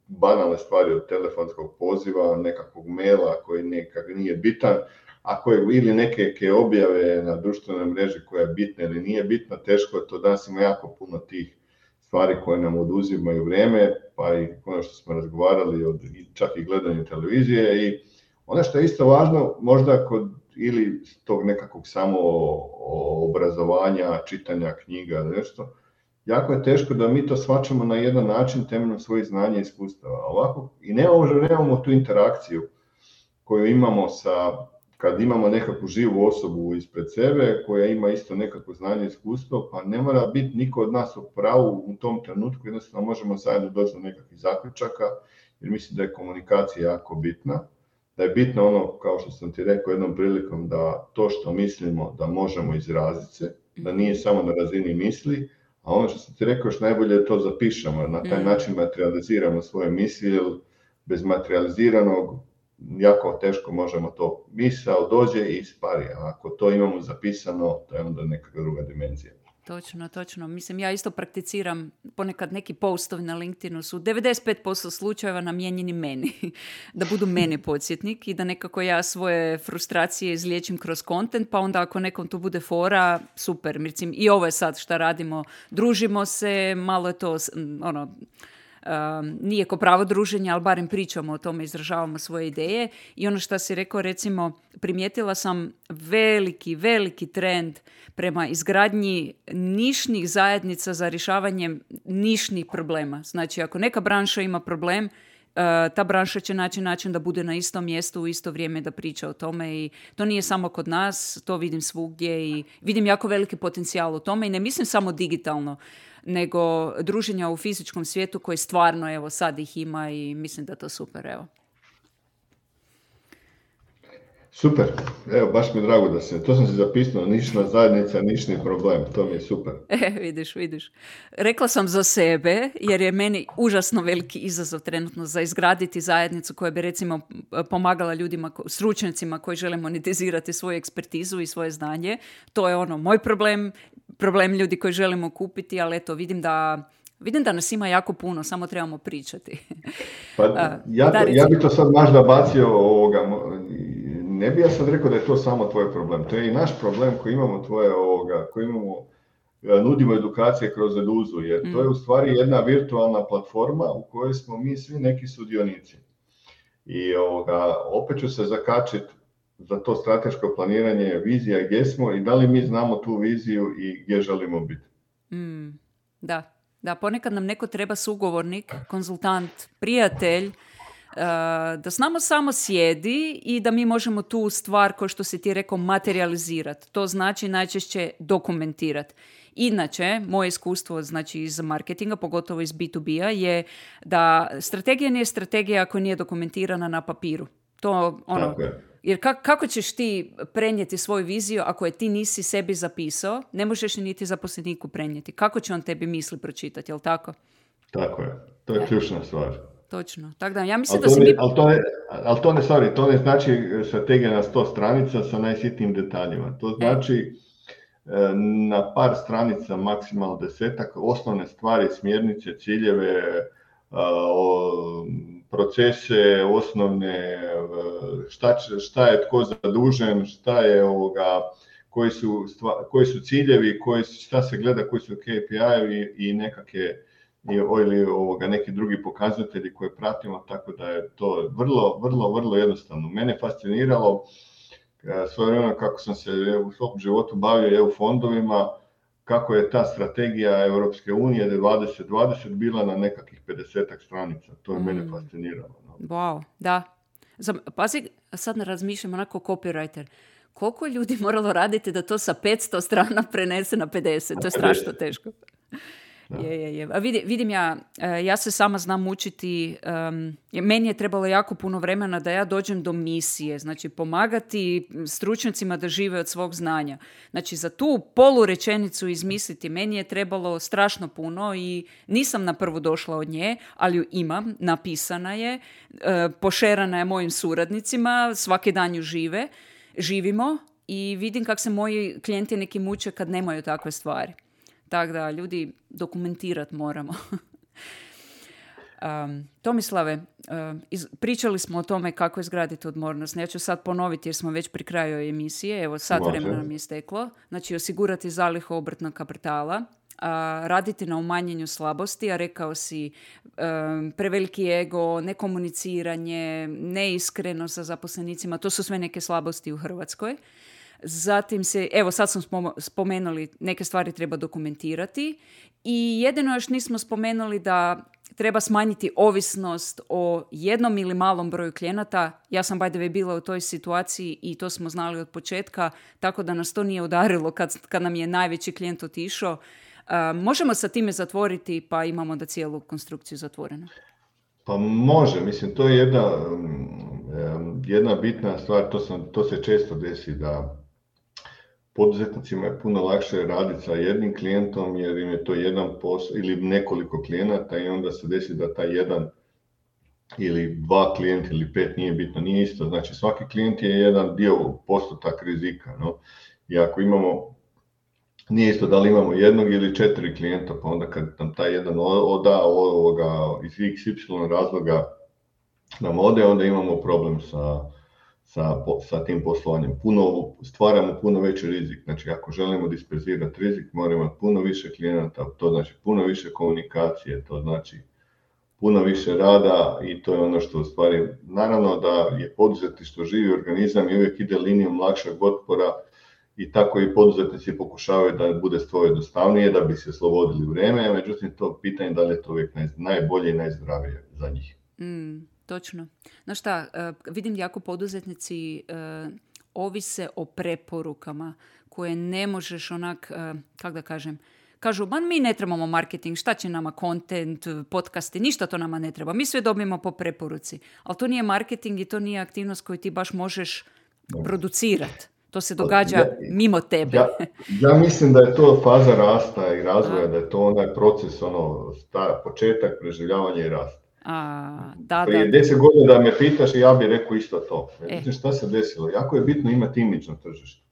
banalne stvari od telefonskog poziva, nekakvog maila koji nekak nije bitan, a koje ili neke, neke objave na društvenoj mreži koja je bitna ili nije bitna, teško je to, danas ima jako puno tih stvari koje nam oduzimaju vrijeme, pa i ono što smo razgovarali, od, čak i gledanje televizije. I ono što je isto važno, možda kod ili tog nekakvog samo obrazovanja, čitanja knjiga, nešto, jako je teško da mi to shvaćamo na jedan način temeljem svojih znanja i iskustava. Ovako, i nemamo, nemamo tu interakciju koju imamo sa kad imamo nekakvu živu osobu ispred sebe koja ima isto nekakvo znanje i iskustvo, pa ne mora biti niko od nas u pravu u tom trenutku, jednostavno možemo zajedno doći do nekakvih zaključaka, jer mislim da je komunikacija jako bitna, da je bitno ono, kao što sam ti rekao jednom prilikom, da to što mislimo da možemo izraziti se, da nije samo na razini misli, a ono što sam ti rekao još najbolje je to zapišemo, na taj način materializiramo svoje misli, jer bez materializiranog jako teško možemo to, misao dođe i ispari, a ako to imamo zapisano, to je onda neka druga dimenzija. Točno, točno. Mislim, ja isto prakticiram, ponekad neki postovi na LinkedInu su devedeset pet posto slučajeva namijenjeni meni, da budu meni podsjetnik i da nekako ja svoje frustracije izliječim kroz kontent, pa onda ako nekom tu bude fora, super. Mislim, i ovo je sad šta radimo, družimo se, malo je to, ono, Um, nije ko pravo druženje, ali barem pričamo o tome, izražavamo svoje ideje. I ono što si rekao, recimo, primijetila sam veliki, veliki trend prema izgradnji nišnih zajednica za rješavanje nišnih problema. Znači, ako neka branša ima problem, uh, ta branša će naći način da bude na istom mjestu u isto vrijeme da priča o tome i to nije samo kod nas, to vidim svugdje i vidim jako veliki potencijal u tome i ne mislim samo digitalno, nego druženja u fizičkom svijetu koji stvarno, evo, sad ih ima i mislim da to super, evo. Super, evo, baš mi je drago da se, to sam si zapisao, nišna zajednica, nišni problem, to mi je super. E, vidiš, vidiš. Rekla sam za sebe, jer je meni užasno veliki izazov trenutno za izgraditi zajednicu koja bi, recimo, pomagala ljudima, stručnjacima koji žele monetizirati svoju ekspertizu i svoje znanje. To je ono, moj problem, problem ljudi koji želimo kupiti, ali eto, vidim da Vidim da nas ima jako puno, samo trebamo pričati. Pa, ja, to, ja bi to sad možda bacio ovoga, ne bi ja sad rekao da je to samo tvoj problem, to je i naš problem koji imamo tvoje ovoga, koji imamo, nudimo edukacije kroz Eduzu, jer mm. to je u stvari jedna virtualna platforma u kojoj smo mi svi neki sudionici. I ovoga, opet ću se zakačiti za to strateško planiranje, vizija gdje smo i da li mi znamo tu viziju i gdje želimo biti. Mm. Da. Da, ponekad nam neko treba sugovornik, konzultant, prijatelj, uh, da s nama samo sjedi i da mi možemo tu stvar, kao što si ti rekao, materializirati. To znači najčešće dokumentirati. Inače, moje iskustvo, znači iz marketinga, pogotovo iz bi tu bia, je da strategija nije strategija ako nije dokumentirana na papiru. To, ono, jer ka- kako ćeš ti prenijeti svoju viziju ako je ti nisi sebi zapisao, ne možeš niti zaposleniku prenijeti. Kako će on tebi misli pročitati, jel tako? Tako je, to je ključna stvar. Točno, tako da ja mislim al da se ne, mi... Ali to ne, ali to ne, sorry, to ne znači strategija na sto stranica sa najsitnijim detaljima. To znači e. na par stranica, maksimalno desetak, osnovne stvari, smjernice, ciljeve, o, procese, osnovne, šta, šta je tko zadužen, šta je ovoga, koji su, stva, koji su ciljevi, koji, šta se gleda, koji su K P I-evi i nekakve ili ovoga, neki drugi pokazatelji koje pratimo, tako da je to vrlo, vrlo, vrlo jednostavno. Mene fasciniralo svoje vremena kako sam se u svom životu bavio E U fondovima, kako je ta strategija Europske unije dvadeset dvadeset bila na nekakvih pedesetak stranica. To je mm. mene fasciniralo. No. Wow, da. Pazi, sad ne razmišljam onako copywriter. Koliko je ljudi moralo raditi da to sa petsto strana prenese na pedeset? To je strašno teško. Je, je, je. A vidim, vidim ja, ja se sama znam učiti, um, meni je trebalo jako puno vremena da ja dođem do misije, znači pomagati stručnjacima da žive od svog znanja. Znači za tu polurečenicu izmisliti meni je trebalo strašno puno i nisam na prvu došla od nje, ali ju imam, napisana je, uh, pošerana je mojim suradnicima, svaki dan ju žive, živimo i vidim kako se moji klijenti neki muče kad nemaju takve stvari. Tako da, ljudi, dokumentirati moramo. um, Tomislave, uh, iz, pričali smo o tome kako izgraditi odmornost. Ja ću sad ponoviti jer smo već pri kraju emisije. Evo, sad vremena nam je isteklo. Znači, osigurati zalihu obrtnog kapitala, uh, raditi na umanjenju slabosti, a rekao si um, preveliki ego, nekomuniciranje, neiskreno sa zaposlenicima. To su sve neke slabosti u Hrvatskoj. Zatim se, evo sad smo spomenuli, neke stvari treba dokumentirati i jedino još nismo spomenuli da treba smanjiti ovisnost o jednom ili malom broju klijenata. Ja sam by the way bila u toj situaciji i to smo znali od početka, tako da nas to nije udarilo kad, kad nam je najveći klijent otišao. Uh, možemo sa time zatvoriti pa imamo da cijelu konstrukciju zatvorenu. Pa može, mislim, to je jedna, jedna bitna stvar, to, sam, to se često desi da poduzetnicima je puno lakše raditi sa jednim klijentom jer im je to jedan posao ili nekoliko klijenata i onda se desi da taj jedan ili dva klijenta ili pet, nije bitno, nije isto. Znači svaki klijent je jedan dio postotak rizika. No? I ako imamo, nije isto da li imamo jednog ili četiri klijenta, pa onda kad nam taj jedan oda ovoga iz iks ipsilon razloga nam ode, onda imamo problem sa Sa, sa tim poslovanjem. Puno, stvaramo puno veći rizik. Znači, ako želimo disperzirati rizik, moramo imati puno više klijenata, to znači puno više komunikacije, to znači puno više rada i to je ono što u stvari, naravno da je poduzetništvo živi organizam i uvijek ide linijom lakšeg otpora i tako i poduzetnici pokušavaju da bude stvar jednostavnije, da bi se oslobodili vrijeme, međutim to pitanje da li je to uvijek naj, najbolje i najzdravije za njih. Mm. Točno. Znaš šta, uh, vidim jako poduzetnici uh, ovise o preporukama koje ne možeš onak, uh, kako da kažem, kažu, man mi ne trebamo marketing, šta će nama content, podcasti, ništa to nama ne treba, mi sve dobijemo po preporuci. Ali to nije marketing i to nije aktivnost koju ti baš možeš producirati. To se događa ja, mimo tebe. Ja, ja mislim da je to faza rasta i razvoja, da je to onaj proces, ono, sta, početak preživljavanja i rasta. A, da, Prije da. deset godina da me pitaš i ja bih rekao isto to. Međutim, E. šta se desilo? Jako je bitno imati imidž na tržištu.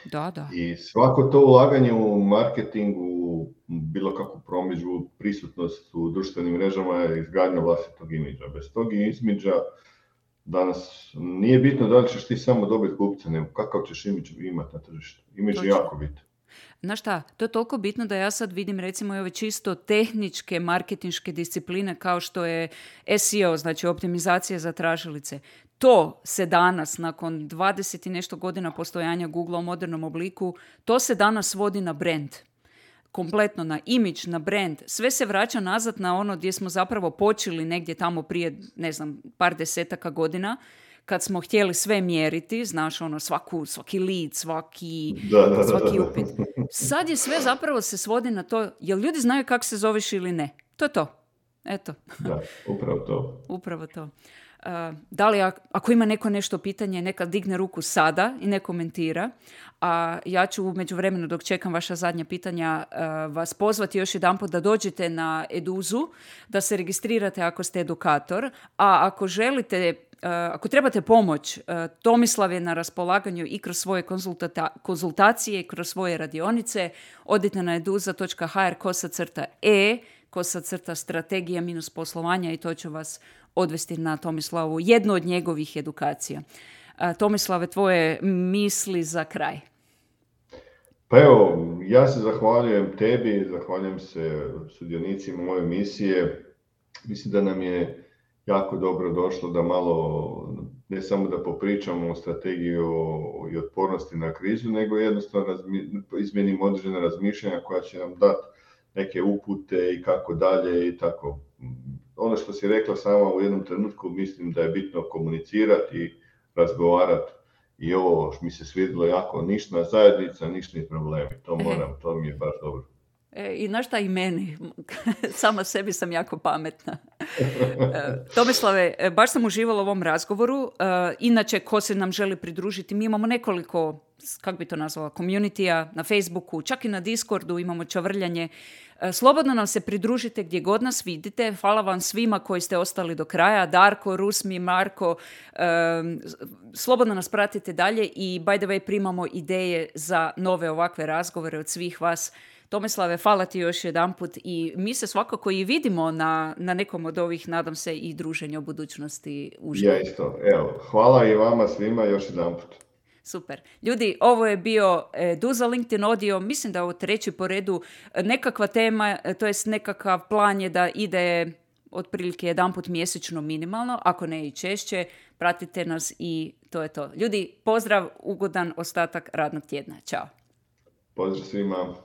Da, da. I svako to ulaganje u marketingu, bilo kakvu promidžbu, prisutnost u društvenim mrežama je izgradnja vlastitog imidža. Bez tog imidža danas nije bitno da li ćeš ti samo dobiti kupce, nego kakav ćeš imidž imati na tržištu. Imidž je jako bitan. Znaš šta, to je toliko bitno da ja sad vidim recimo i ove čisto tehničke marketinške discipline kao što je es e o, znači optimizacija za tražilice. To se danas, nakon dvadeset i nešto godina postojanja Google u modernom obliku, to se danas vodi na brand. Kompletno na imidž, na brand. Sve se vraća nazad na ono gdje smo zapravo počeli negdje tamo prije, ne znam, par desetaka godina, kad smo htjeli sve mjeriti, znaš, ono, svaku, svaki lead, svaki, da, da, svaki da, da. upit. Sad je sve zapravo se svodi na to, jel ljudi znaju kako se zoveš ili ne. To je to. Eto. Da, upravo to. Upravo to. Uh, da li ako ima neko nešto pitanje, neka digne ruku sada i ne komentira. A ja ću u međuvremenu dok čekam vaša zadnja pitanja uh, vas pozvati još jedanput da dođete na Eduzu, da se registrirate ako ste edukator, a ako želite Uh, ako trebate pomoć, uh, Tomislav je na raspolaganju i kroz svoje konzultata- konzultacije i kroz svoje radionice. Odite na eduza točka ha er kosa crta e, kosa crta strategija minus poslovanja i to će vas odvesti na Tomislavu, jednu od njegovih edukacija. Uh, Tomislave, tvoje misli za kraj? Pa evo, ja se zahvaljujem tebi, zahvaljujem se sudionicima moje misije. Mislim da nam je jako dobro došlo da malo, ne samo da popričamo o strategiji i otpornosti na krizu, nego jednostavno razmi, izmijenimo određena razmišljanja koja će nam dati neke upute i kako dalje i tako. Ono što si rekla sama u jednom trenutku, mislim da je bitno komunicirati i razgovarati i ovo što mi se svidjelo jako, ništa zajednica, ništa problemi. To moram, to mi je baš dobro. E, I znaš šta i meni, sama sebi sam jako pametna. E, Tomislave, baš sam uživala u ovom razgovoru. E, inače, ko se nam želi pridružiti, mi imamo nekoliko, kako bi to nazvala, community-a na Facebooku, čak i na Discordu imamo čavrljanje. E, slobodno nam se pridružite gdje god nas vidite. Hvala vam svima koji ste ostali do kraja. Darko, Rusmi, Marko, e, slobodno nas pratite dalje i by the way primamo ideje za nove ovakve razgovore od svih vas. Tomislave, hvala ti još jedanput i mi se svakako i vidimo na, na nekom od ovih, nadam se, i druženja u budućnosti uživo. Ja isto. Evo, hvala i vama svima još jedanput. Super. Ljudi, ovo je bio Eduza LinkedIn Audio, mislim da je ovo treći po redu, nekakva tema, to jest nekakav plan je da ide otprilike jedanput mjesečno minimalno, ako ne i češće, pratite nas i to je to. Ljudi, pozdrav, ugodan ostatak radnog tjedna. Ćao. Pozdrav svima.